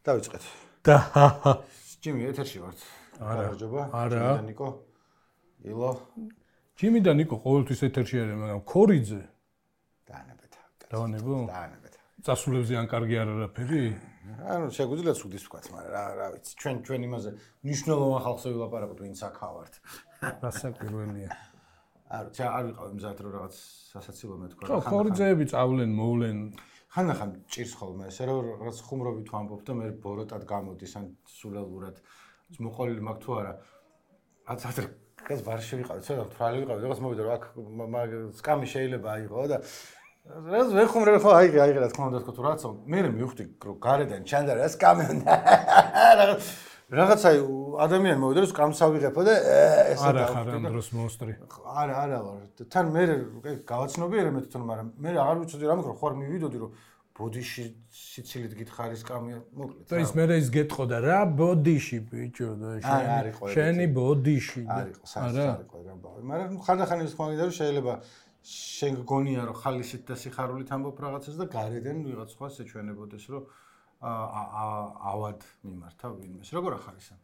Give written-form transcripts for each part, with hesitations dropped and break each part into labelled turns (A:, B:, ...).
A: დავიწყეთ.
B: და
A: ჯიმი ეთერში ვართ.
B: არა.
A: არა. ნიკო. ილო.
B: ჯიმი და ნიკო ყოველთვის ეთერში არიან, მაგრამ ქორიძე
A: დაანებეთ.
B: დავანებო?
A: დაანებეთ.
B: წასულებზე ან კარგი არ არაფერი?
A: ანუ შეგვიძლია სუდის ვქოთ, მაგრამ რა ვიცი, ჩვენ იმაზე მნიშვნელოვან ხალხზე ვილაპარაკოთ, ვინც აქა ვართ.
B: გასაკვირველია.
A: არ ვიყავ მზად რომ რაღაც სასაცილო მეთქვა.
B: ხო, ქორიძეები წავლენ, მოვლენ.
A: ხანდახან ჭირს ხოლმე ესე რომ რაღაც ხუმრობით ვამბობ და მე ბოროტად გამოდის ან სულელურად მოყოლილი მაქვს თუ არა. რაც ეს ვარში ვიყავ, ცოტა თვალი ვიყავ, რაღაც მოვიდა რომ აქ სკამი შეიძლება აიღო და რაც ვეხუმრე ხო აიღე რა თქმა უნდა თქო თუ რაცო მე მივხვდი რომ გარედან ჩანდა რა სკამი უნდა რაღაცა ადამიანი მოვიდა რომ სკამს ავიღებო და ესე
B: არა ხარ ამ დროს მონსტრი.
A: არა ვარ. თან მე გავაცნობიერე მე თვითონ, მაგრამ მე აღარ ვიცოდი რა მეკრო ხوار მივიდოდი რომ ბოდიში სიცილით გითხარი სკამია მოკლედ.
B: და ის მე ის გეტყოდა რა ბოდიში ბიჭო და შენი ბოდიში.
A: არა არისო რა ბავი. მაგრამ ხანდახან ის ხმაგიდა რომ შეიძლება შენ გგონია რომ ხალისით და სიხარულით ამბობ რაღაცას და გარედან ვიღაც სხვა შეჩვენებოდეს რომ ავად მიმართა ვინმეს. როგორ ახარ ისა?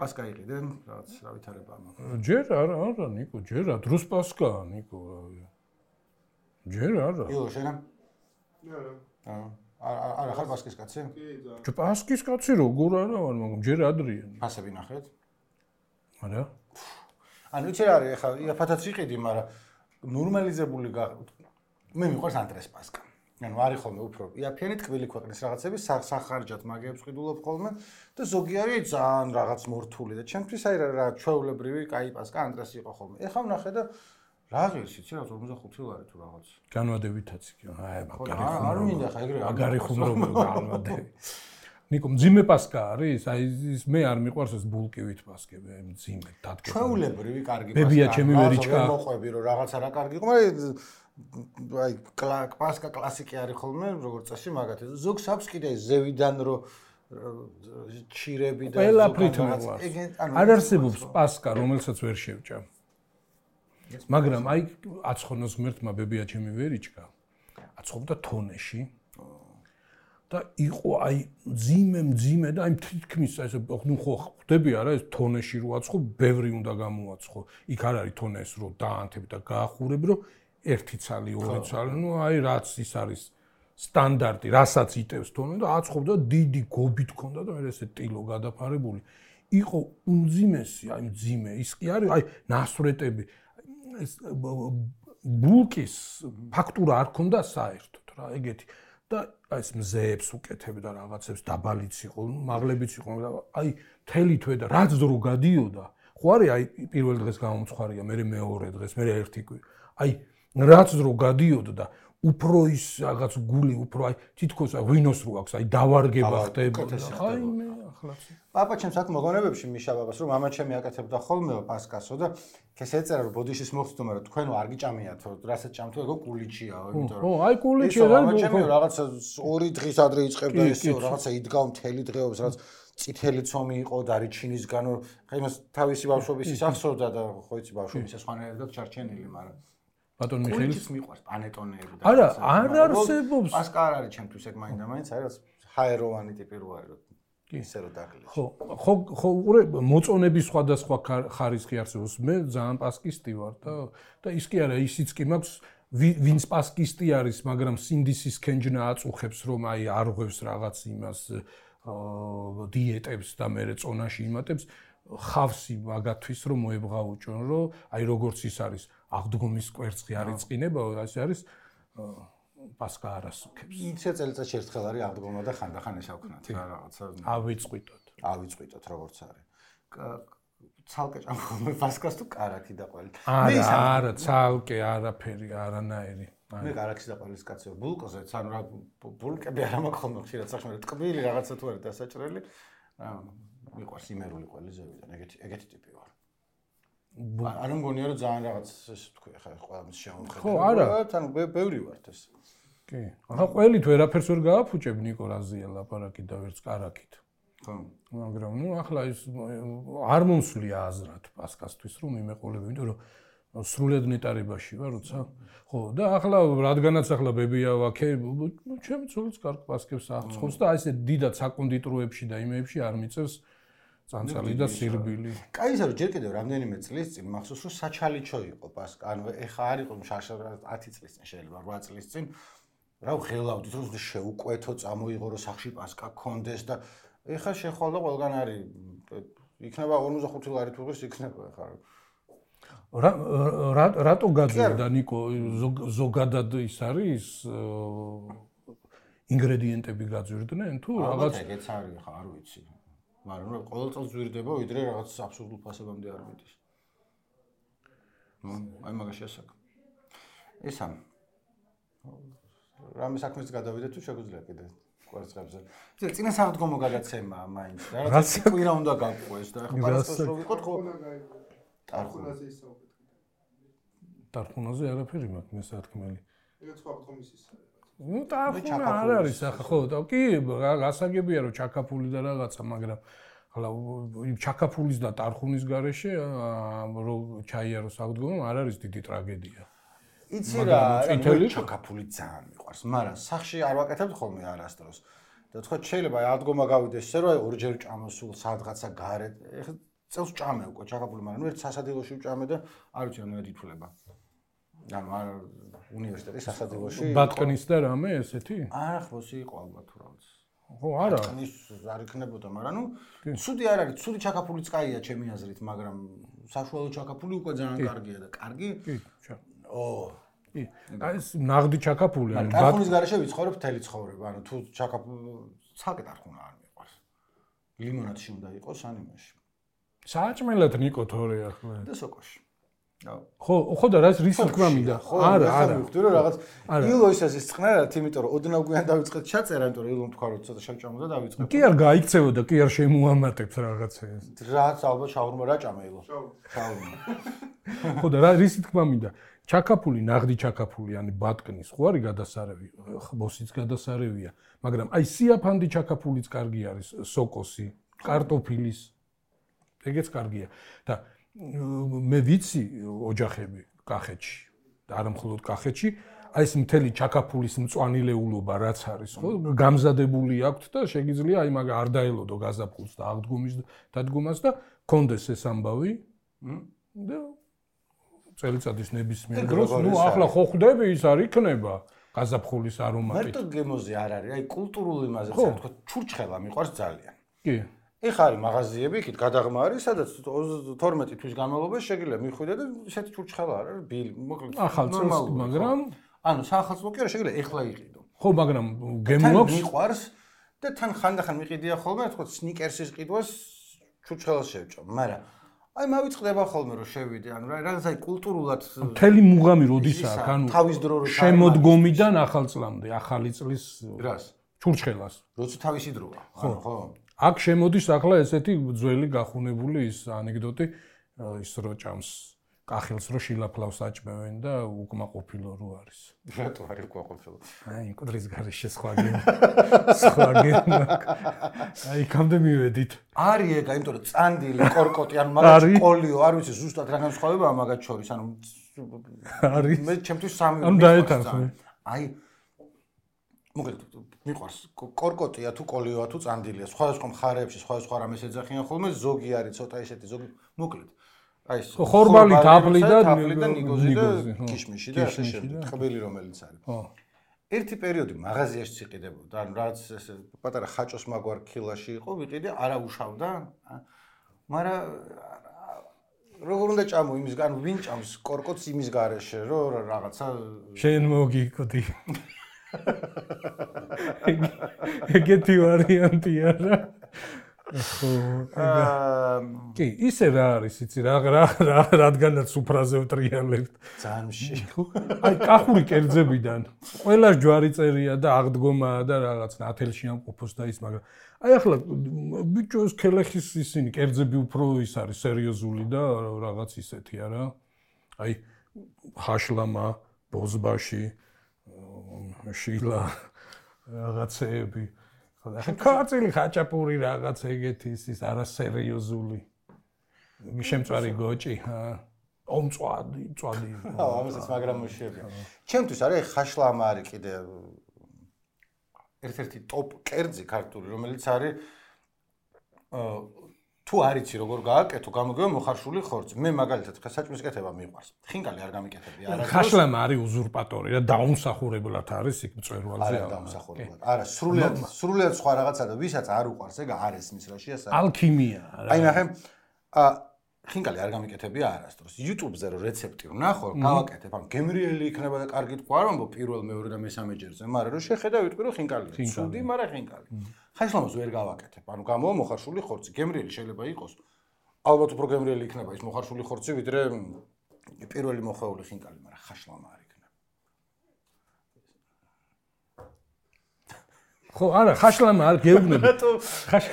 A: პასკა იყიდენ რაღაც რა ვითარება მაქვს.
B: ჯერ არა ნიკო, ჯერ რა დროს პასკაა ნიკო. ჯერ არა.
A: იო შენა?
C: არა.
A: არა ხარ პასკის კაცი?
B: კი, პასკის კაცი როგორ არა ვარ, მაგრამ ჯერ ადრია.
A: ფასები ნახეთ?
B: არა.
A: ანუ იცი რა არის ახლა იაფათაც იყიდი, მაგრამ ნორმალიზებული მე მიყვარს ანტრეს პასკა. ანუ არის ხოლმე უფრო იაფიანი ტკბილი ქვეყნის რაღაცები სახარჯად მაგეებს ყიდულობ ხოლმე და ზოგი არის ძალიან რაღაც მორთული და ჩემთვის აი რა ჩვეულებრივი კაი პასკა ანტრეს იყო ხოლმე. ეხლა ვნახე და რა ღირს იცი რა 45 ლარი თუ რაღაც.
B: განვადებითაც იყო. აი მაგარი
A: ხუმრობა. არ მინდა ხა ეგრე.
B: მაგარი ხუმრობა განვადები. ნიკო მძიმე პასკა არის? აი ის მე არ მიყვარს ეს ბულკივით პასკები, აი მძიმე დადგება.
A: ჩვეულებრივი კარგი პასკა.
B: ბებია ჩემი ვერიჩკა.
A: მოყვები რომ რაღაცა რა კარგი იყო, მაგრამ აი პასკა კლასიკი არის ხოლმე, როგორც წესი მაგათი. ზოგს აქვს კიდე ზევიდან რომ ჩირები და
B: ყველაფრით მოყვარს. არ არსებობს პასკა, რომელსაც ვერ შევჭამ. მაგრამ აი აცხონოს ღმერთმა ბებია ჩემი ვერიჩკა. აცხობდა თონეში. და იყო აი მძიმე და აი თითქმის ესე ნუ ხო ხვდები არა ეს თონეში რო აცხო, ბევრი უნდა გამოაცხო. იქ არ არის თონეს რო დაანთები და გაახურები რომ 1 ცალი, 2 ცალი, ნუ აი რაც ის არის სტანდარტი, რასაც იტევს თონე და აცხობდა დიდი გობით ქონდა და მე ესე ტილო გადაფარებული. იყო უმძიმესი, აი მძიმე, ის კი არის აი ნასვრეტები. ეს ბულკის ფაქტურა არ ქონდა საერთოდ რა, ეგეთი. და ეს მზეებს უკეთებ და რაღაცებს დაბალიც იყო, მაღლებიც იყო, აი მთელი თვე და რაც დრო გადიოდა, ხო არის აი პირველ დღეს გამომცხარია, მე მეორე დღეს, მე ერთი აი რაც დრო გადიოდა და უფრო ის რაღაც გული უფრო აი თითქოს ღვინოს რო აქვს, აი დავარგება ხდებოდა. აი მე ახლაც.
A: პაპა ჩემს აქ მოგონებებში მიშა ბაბას რომ მამა ჩემი აკეთებდა ხოლმე პასკასო და ეს ეწერა რომ ბოდიშის მოხდო, მაგრამ თქვენო არ გიჭამიათო, რასაც ჭამთო ეგო კულიჩიაო, იმიტომ რომ
B: აი კულიჩია და
A: მამა ჩემი რაღაცა 2 დღის ადრე იწყებდა ისე რაღაცა იდგა მთელი დღეობს, რაც წითელი ცომი იყო და რიჩინისგან ხა იმას თავისი ბავშვობის ის ახსოვდა და ხო იცი ბავშვობის სხვანაირად ჩარჩენილი, მაგრამ
B: ბატონ მიხეილს
A: კულიჩის მიყვარს პანეტონეები და
B: არა არ არსებობს
A: პასკა არ არის ჩემთვის ეგ მაინდა-მაინც არის ჰაეროვანი ტიპი რო არის რომ ისე რო დაგლეჩ.
B: ხო უყურე მოწონების სხვადასხვა ხარისხი არსებობს. მე ძალიან პასკისტი ვარ და ის კი არა ისიც კი მაქვს ვინც პასკისტი არის, მაგრამ სინდისის ქენჯნა აწუხებს რომ აი არ ღვევს რაღაც იმას დიეტებს და მე წონაში იმატებს ხავსი მაგათვის რომ მოებღაუჭონ რომ აი როგორც ის არის აღდგომის კვერცხი არ იწყინება, ასე არის პასკა არასუქებს.
A: იცი წელიწადში ერთხელ არის აღდგომა და ხანდახან ესავქნათ რა რაღაცა. ავიწყვიტოთ როგორც არის. ცალკე ჭამხome პასკას თუ კარაქი და ყველი.
B: არა, ცალკე არაფერი, არანაირი.
A: მე კარაქის და ყველის კაცი ვარ. ბულკოზეც ანუ რა ბულკები არ მაქვს ხოლმე ხშირად სახში, ტკბილი რაღაცა თუ არის დასაჭრელი. მიყვარს იმერული ყველი ზევიდან, ეგეთი ტიპი ვარ. არ მგონია რომ ძალიან რაღაც ესე თქვი ხა ყველამის შეამხედე.
B: ხო, არა,
A: ანუ ბევრი ვართ ეს.
B: კი. ახლა ყველით ვერაფერს ვერ გააფუჭებ ნიკო რაზია ლაპარაკი და ვერც კარაკით.
A: ხო.
B: მაგრამ ნუ ახლა ის არ მომსვლია აზრად პასკასთვის რომ იმეყოლები, იმიტომ რომ სრულად ნეტარებაში ვარ, როცა ხო და ახლა რადგანაც ახლა ბებია ვაქე, ჩემი ცოლიც კარგ პასკებს აღწევს და აი ესე დიდად საკონდიტროებში და იმეებში არ მიწევს წანწალი და სირბილი.
A: კაი ისე რომ ჯერ კიდევ რამდენიმე წლის წინ მახსოვს რომ საჩალიჩო იყო პასკა, ანუ ეხა არ იყო შარშა 10 წლის წინ შეიძლება 8 წლის წინ რა ვღელავდით რომ შეუკვეთო წამოიღო რომ სახში პასკა გქონდეს და ეხა შეხვალდა ყველგან არის იქნება 55 ლარი თუ ის იქნება ეხა
B: რატო გაძვირდა ნიკო ზოგადად ის არის ინგრედიენტები გაძვირდნენ თუ
A: რაღაც ეგეც არის ხა არ ვიცი მაგრამ რა ყოველ წელს ზვირდება ვიდრე რაღაც აბსურდულ ფასებამდე არ მიდის აი მაგაში ასაკ ესა რამე საქმეს გადავიდე თუ შეგვიძლია კიდე კვარცხლებზე ისე წინა საღდგომო გადაცემა მაინც და რაღაც კვირა უნდა გავყვეს და ახლა პარასკევს რო ვიყოთ ხო ტარხუნაზე ისაუბრეთ
B: ტარხუნაზე არაფერი მაქვს მე სათქმელი
C: ეგეც ხო კომისიის
B: ნუ ტარხუნა არ არის ახლა ხო და კი გასაგებია რომ ჩაკაფული და რაღაცა მაგრამ ახლა ჩაკაფულის და ტარხუნის გარეშე რო ჩაიარო საღდგომო არ არის დიდი ტრაგედია
A: იცი რა ჩაკაფული ძალიან მიყვარს მაგრამ სახში არ ვაკეთებ ხოლმე არასდროს და თქვა შეიძლება აღდგომა გავიდეს ისე რომ ორჯერ ჭამოსულ სადღაცა გარეთ ეხლა წელს ჭამე უკვე ჩაკაფული მაგრამ ერთ სასადილოში ვჭამე და არ ვიცი რამდენად ითვლება ანუ არ უნივერსიტეტის სასადილოში
B: ბატკნის და რამე ესეთი
A: არა ხოსი იყო ალბათ თუ რა ვიცი
B: ხო არა
A: ის არ იქნებოდა მაგრამ ნუ ცუდი არ არის ცუდი ჩაკაფულიც კაია ჩემი აზრით მაგრამ საშუალო ჩაკაფული უკვე ძალიან კარგია და კარგი
B: კი
A: კი
B: აი ეს ნაღდი ჩაკაფული
A: ანუ ტარხუნის გარეშე ვიცხოვრებ მთელი ცხოვრება ანუ თუ ჩაკაფული ცალკე ტარხუნა არ მიყვარს ლიმონადში უნდა იყოს ანიმაში
B: საჭმელად ნიკო თორე ახლა
A: და სოკოში
B: ხო და რაც რის თქმა მინდა არა
A: მივხვდი რომ რაღაც ილო ისე ისწყნარად იმიტომ რომ ოდნავ გვიან დავიწყეთ ჩაწერა იმიტომ რომ ილომ თქვა რომ ცოტა შეჭამო და დავიწყებ
B: კი არ გაიქცევოდა კი არ შემოამატებს რაღაცას
A: რაც ალბათ შაურმა რა ჭამა ილო შაურმა
B: ხო და რის თქმა მინდა ჩაკაფული ნაღდი ჩაკაფული ანუ ბატკნის ხო არის გადასარევი ხბოსიც გადასარევია მაგრამ აი სიაფანდი ჩაკაფულიც კარგი არის სოკოსი კარტოფილის ეგეც კარგია და მე ვიცი ოჯახები კახეთში და არა მხოლოდ კახეთში აი ეს მთელი ჩაკაფულის მწვანილეულობა რაც არის ხო გამზადებული აქვთ და შეგიძლია აი მაგ არ დაელოდო გაზაფხულს და აღდგომის დადგომას და კონდეს ეს ამბავი და წელიწადის ნებისმიერ დროს ნუ ახლა ხო ხვდები ის არ იქნება გაზაფხულის არომატი
A: მარტო გემოზე არ არის აი კულტურულ იმაზე თქვა ჩურჩხელა მიყვარს ძალიან
B: კი
A: ეხა არის მაღაზიები, იქით გადაღმა არის, sadაც 12 თვის განმავლობაში შეგიძლია მიხვიდე და ესეთი ჩურჩხელა არის, ბილი, მოკლედ
B: ახალწელს, მაგრამ
A: ანუ საახალწლო კი არა, შეგიძლია ეხლა იყიდო.
B: ხო, მაგრამ გემოაქვს
A: მიყვარს და თან ხანდახან მიყიდია ხოლმე, თქო, სნიკერსის ყიდვას ჩურჩხელას შევჭამ, მაგრამ აი მავიწყდება ხოლმე რომ შევიდე, ანუ რაღაც აი კულტურულად
B: მთელი მუღამი როდის აქვს, ანუ
A: თავის დრო რო
B: შემოდგომიდან ახალწლამდე, ახალი წლის
A: რას?
B: ჩურჩხელას.
A: როცა თავისი დროა, ანუ ხო?
B: აქ შემოდის ახლა ესეთი ძველი გახუნებული ის ანეკდოტი ის რო ჭამს კახილს რო შილაფლავს აჭმევენ და უკმაყოფილო რო არის.
A: რატო არის უკმაყოფილო?
B: აი მკვდრის გარეშე სხვა გემ. აი კამდე მივედით.
A: არის ეგ, იმიტომ რომ წანდილი, კორკოტი, ანუ მაგათ კოლიო, არ ვიცი ზუსტად რა განსხვავებაა მაგათ შორის, ანუ
B: არის.
A: მე ჩემთვის სამი
B: ანუ დაეთანხმე.
A: აი მოკლედ მიყვარს კორკოტია თუ კოლიოა თუ წანდილია სხვადასხვა მხარეებში სხვადასხვა რამეს ეძახიან ხოლმე ზოგი არის ცოტა ისეთი ზოგი მოკლედ აი ეს
B: ხორბალი თაფლი და
A: ნიგოზი და კიშმიში და ასე შემდეგ ტყბილი რომელიც არის ხო ერთი პერიოდი მაღაზიაში იყიდებოდა ანუ რაც ესე პატარა ხაჭოს მაგვარ ქილაში იყო ვიყიდე არა უშავდა მაგრამ როგორ უნდა ჭამო იმის გან ვინ ჭამს კორკოტს იმის გარეშე რომ რაღაცა
B: შენ მოგიკვდი ეგეთი ვარიანტია რა ხო კი ისე რა არის იცი რადგანაც უფრაზე ვტრიალებთ
A: ძანში
B: აი კახური კერძებიდან ყველა ჯვარი წერია და აღდგომაა და რაღაც ნათელში ამყოფოს და ის მაგრამ აი ახლა ბიჭო ეს ქელეხის ისინი კერძები უფრო ის არის სერიოზული და რაღაც ისეთი არა აი ხაშლამა ბოზბაში შილა რაღაცეები ხაწილი ხაჭაპური რაღაც ეგეთი ის არასერიოზული შემწვარი გოჭი მწვადი.
A: ამასაც მაგრამ მოშიებია. ჩემთვის არის ხაშლამა არის კიდე ერთ-ერთი ტოპ კერძი ქართული, რომელიც არის თუ არიცი როგორ გააკეთო, გამოგეო მოხარშული ხორცი. მე მაგალითად საჭმლის კეთება მიყვარს. ხინკალი არ გამიკეთებია.
B: ხაშლამა არის უზურპატორი და დაუმსახურებლად არის იქ მწვერვალზე.
A: არა, დაუმსახურებლად. არა, სრულიად სხვა რაღაცა და ვისაც არ უყვარს, ეგ არ ესმის რაში ასა.
B: ალქიმია.
A: აი ნახე, ხინკალი არ გამიკეთებია არასდროს. YouTube-ზე რო რეცეპტი ვნახო, გავაკეთებ, ან გემრიელი იქნება და კარგი თქვა არ ამბობ პირველ, მეორე და მესამე ჯერზე, მაგრამ რო შეხედა ვიტყვი რომ ხინკალია. ცუდი, მაგრამ ხინკალი. ხაშლამას ვერ გავაკეთებ. ანუ გამოვა მოხარშული ხორცი. გემრიელი შეიძლება იყოს. ალბათ უფრო გემრიელი იქნება ის მოხარშული ხორცი, ვიდრე პირველი მოხეული ხინკალი, მაგრამ ხაშლამა არ იქნება.
B: ხო, არა, ხაშლამა არ გეუბნები.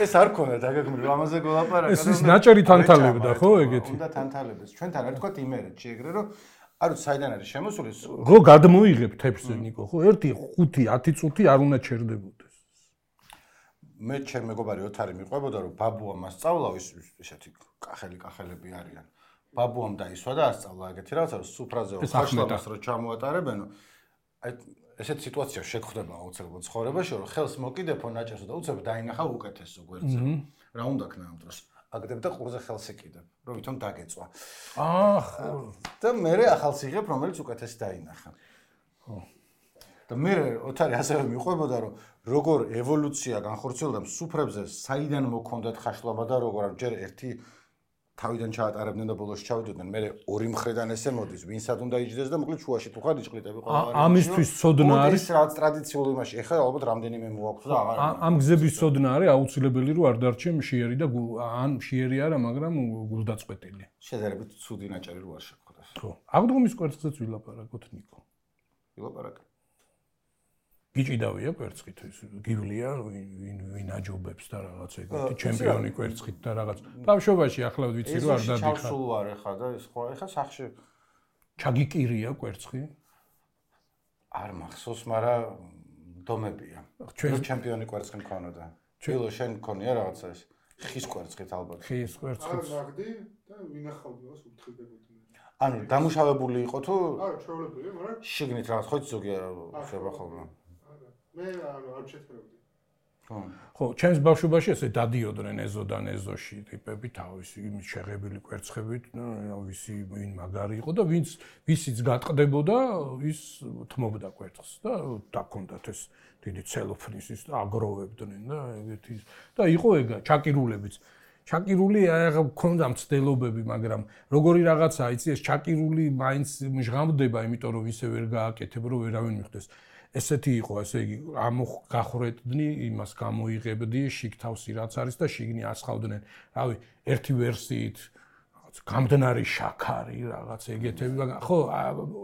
A: ეს არ ქონდა დაგეგმილი, ამაზე გველაპარაკა.
B: ეს ნაჭერი თანთალებდა, ხო, ეგეთი.
A: უნდა თანთალებს. ჩვენთან არ თქვა იმერეთში ეგრე რომ არ ვიცი საიდან არის შემოსული.
B: ხო, გადმოიღებ თეფსზე ნიკო, ხო, 1, 5, 10 წუთი არ უნდა ჩერდებოდეს.
A: მე ჩემ მეგობარი ოთარი მიყვებოდა რომ ბაბუა მასწავლა ისეთი კახელები არიან. ბაბუამ დაისვა და ასწავლა ეგეთი რაღაცა რომ სუფრაზე ხაშლამას რო ჩამოატარებენო. აი ესეთ სიტუაცია შეგხვდება აუცილებლად ცხოვრებაში რომ ხელს მოკიდებო ნაჭერსო და უცებ დაინახავ უკეთესო გვერდზე. რა უნდა ქნა ამ დროს? აგდებ და ყურზე ხელს ეკიდებ, რომ ვითომ დაგეწვა. და მე ახალს იღებ, რომელიც უკეთესი დაინახა. ხო. და მე ოთარი ასევე მიყვებოდა რომ როგორ ევოლუცია განხორციელდა სუფრებზე, საიდან მოქონდათ ხაშლამა და როგორ ჯერ ერთი თავიდან ჩაატარებდნენ და ბოლოს ჩავიდოდნენ, მე ორი მხრიდან ესე მოდის, ვინსად უნდა იჯდეს და მოკლედ შუაში თუ ხარ იჭყლიტები ყველა.
B: ამისთვის ცოდნა არის.
A: ის რაც ტრადიციულ იმაში, ეხლა ალბათ რამდენიმე მოაქვს და აღარ.
B: ამ გზების ცოდნა არის აუცილებელი რომ არ დარჩე მშიერი და ან მშიერი არა, მაგრამ გულდაწყვეტილი.
A: შედარებით ცუდი ნაჭერი რო არ შეგვხვდეს.
B: ხო. აღდგომის კვერცხზეც ვილაპარაკოთ ნიკო.
A: ვილაპარაკე.
B: გიჭიდავია კვერცხით ის გივლია ვინ აჯობებს და რაღაც ეგეთი ჩემპიონი კვერცხით და რაღაც ბავშვობაში ახლა ვიცი რომ არ დადიხარ.
A: ჩავსულ ვარ ეხლა და სხვა ეხლა სახში
B: ჩაგიკირია კვერცხი?
A: არ მახსოვს, მაგრამ დომებია. ჩვენ ჩემპიონი კვერცხი მქონოდა. ჩილო შენ მქონია რაღაცა ეს ხის კვერცხით ალბათ.
B: ხის კვერცხით.
C: არა მაგდი და ვინახავდი მას უთხრდებოდი.
A: ანუ დამუშავებული იყო თუ
C: არა, ჩვეულებრივი, მაგრამ
A: შიგნით რაღაც ხო ზოგია შევა ხოლმე.
C: მე არ შეცდები.
B: ხო, ჩემს ბავშვობაში ესე დადიოდნენ ეზოდან ეზოში ტიპები თავისი იმის შეღებილი კვერცხებით, ვისი ვინ მაგარი იყო და ვისიც გატყდებოდა, ის თმობდა კვერცხს და დაქონდათ ეს დიდი ცელოფნის ის აგროვებდნენ და ეგეთი და იყო ეგა ჩაკირულებიც. ჩაკირული აღა მქონდა მცდელობები, მაგრამ როგორი რაღაცაა, იცი ეს ჩაკირული მაინც მჟღავდება, იმიტომ რომ ისე ვერ გააკეთებ, რომ ვერავინ მიხვდეს. ესეთი იყო, ესე იგი, გახვრეტდნი, იმას გამოიღებდი, შიგ თავსი რაც არის და შიგნი ასხავდნენ. რავი, ერთი ვერსიით რაღაც გამდნარი შაქარი, რაღაც ეგეთები, მაგრამ ხო,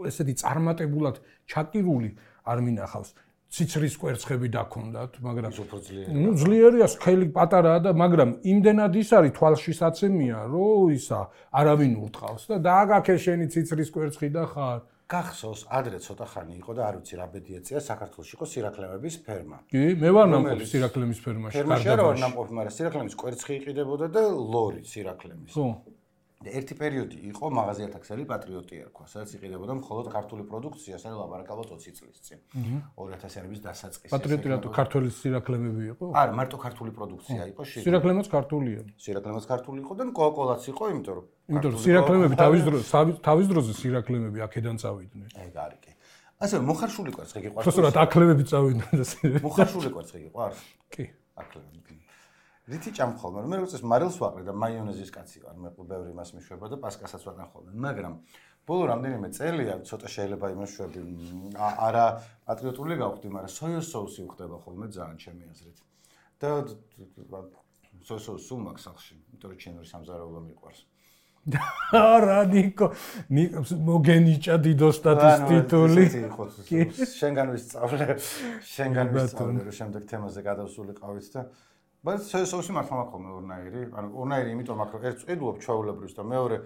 B: ესეთი წარმატებულად ჩაკირული არ მინახავს. ციცრის კვერცხები დაქონდათ, მაგრამ ძლიერია, სქელი პატარაა და მაგრამ იმდენად ის არის თვალში საცემია, რომ ისა არავინ ურტყავს და დააგაქე შენი ციცრის კვერცხი და ხარ.
A: გახსოვს, ადრე ცოტა ხანი იყო და არ ვიცი რა ბედი ეწია, საქართველოში იყო სირაქლემების ფერმა.
B: კი, მე ვარ ნამყოფი სირაქლემის ფერმაში.
A: ფერმაში არ ვარ ნამყოფი, მაგრამ სირაქლემის კვერცხი იყიდებოდა და ლორი სირაქლემის.
B: ხო.
A: ერთი პერიოდი იყო მაღაზიათა ქსელი პატრიოტი ერქვა, სადაც იყიდებოდა მხოლოდ ქართული პროდუქცია, სადაც ლაპარაკავთ 20 წლის წინ. 2000-იანების დასაწყისში.
B: პატრიოტი რატო ქართული სირაქლემები იყო?
A: არა, მარტო ქართული პროდუქცია იყო შიგნით.
B: სირაქლემაც ქართულია.
A: სირაქლემაც ქართული იყო და კოკოლაც იყო, იმიტომ რომ
B: სირაქლემები თავის დროზე სირაქლემები აქედან წავიდნენ.
A: ეგ არის კი. ასე მოხარშული კვერცხი გიყვარს?
B: ხოსურად აკლემები წავიდნენ და
A: მოხარშული კვერცხი გიყვარს?
B: კი.
A: აკლემები. რითი ჭამხოლმე, მე როგორც მარილს ვაყრე და მაიონეზის კაცი ვარ, მე ბევრი მას მიშვება და პასკასაც ვატან ხოლმე, მაგრამ ბოლო რამდენიმე წელია ცოტა შეიძლება იმაშვები, არა პატრიოტული გავხდი, მაგრამ სოიოს соуსი ვხდება ხოლმე ძალიან ჩემი აზრით. და სოიოს соуს სულ მაქვს სახში, იმიტომ რომ ჩინური სამზარეულო მიყვარს.
B: არა, ნიკო, მოგენიჭა დიდოსტატის ტიტული.
A: შენგან ვისწავლე, რომ შემდეგ თემაზე გადავსულიყავით და բայց соуსი მართლა მაქვს ხოლმე ორნაირი, ანუ ორნაირი იმიტომ მაქვს, რომ ერთს ყიდულობ ჩვეულებრივს და მეორე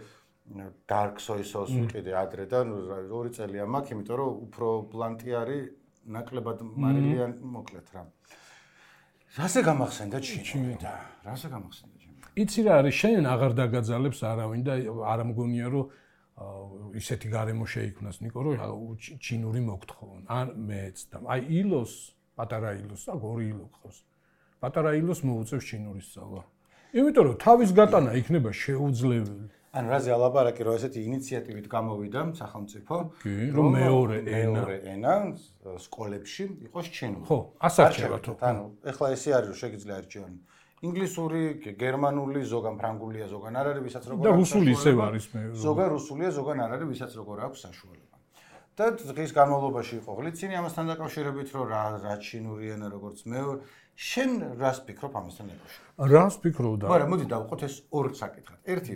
A: dark soy sauce ვიყიდე ადრე და 2 წელია მაქვს, იმიტომ რომ უფრო ბლანტი არის, ნაკლებად მარილიან მოკლედ რა. რასე გამახსენდა ჩინი და რასე გამახსენდა ჩინი?
B: იცი რა არის, შენ აღარ დაგაძალებს არავინ და არ მგონია რომ ისეთი გარემო შეიქმნას ნიკო, რომ ჩინური მოგთხოვონ. ან მეც და აი ილოს, პატარა ილოს, აქ ორი ილო გყავს. პატარა ილოს მოუწევს ჩინური სწავლა. იმიტომ რომ თავის გატანა იქნება შეუძლებელი.
A: ანუ რაზე ალაპარაკი რომ ესეთი ინიციატივით გამოვიდა სახელმწიფო,
B: რომ მეორე
A: ენა სკოლებში იყოს ჩინური.
B: ხო, ასარჩევათო.
A: ანუ ეხლა ესე არის რომ შეგიძლია არჩევან ინგლისური, გერმანული, ზოგან ფრანგულია, ზოგან არ არის, ვისაც როგორ
B: და რუსული ისევ არის მე.
A: ზოგან რუსულია, ზოგან არ არის, ვისაც როგორ აქვს საშუალება. და დღის განმავლობაში იყო ღლიცინი ამასთან დაკავშირებით, რომ რა ჩინური ენა როგორც მეორე. შენ რას ფიქრობ ამასთან დაკავშირებით?
B: რას ფიქრობ და?
A: მაგრამ მოდი დავუყოთ ეს ორ საკითხად. ერთი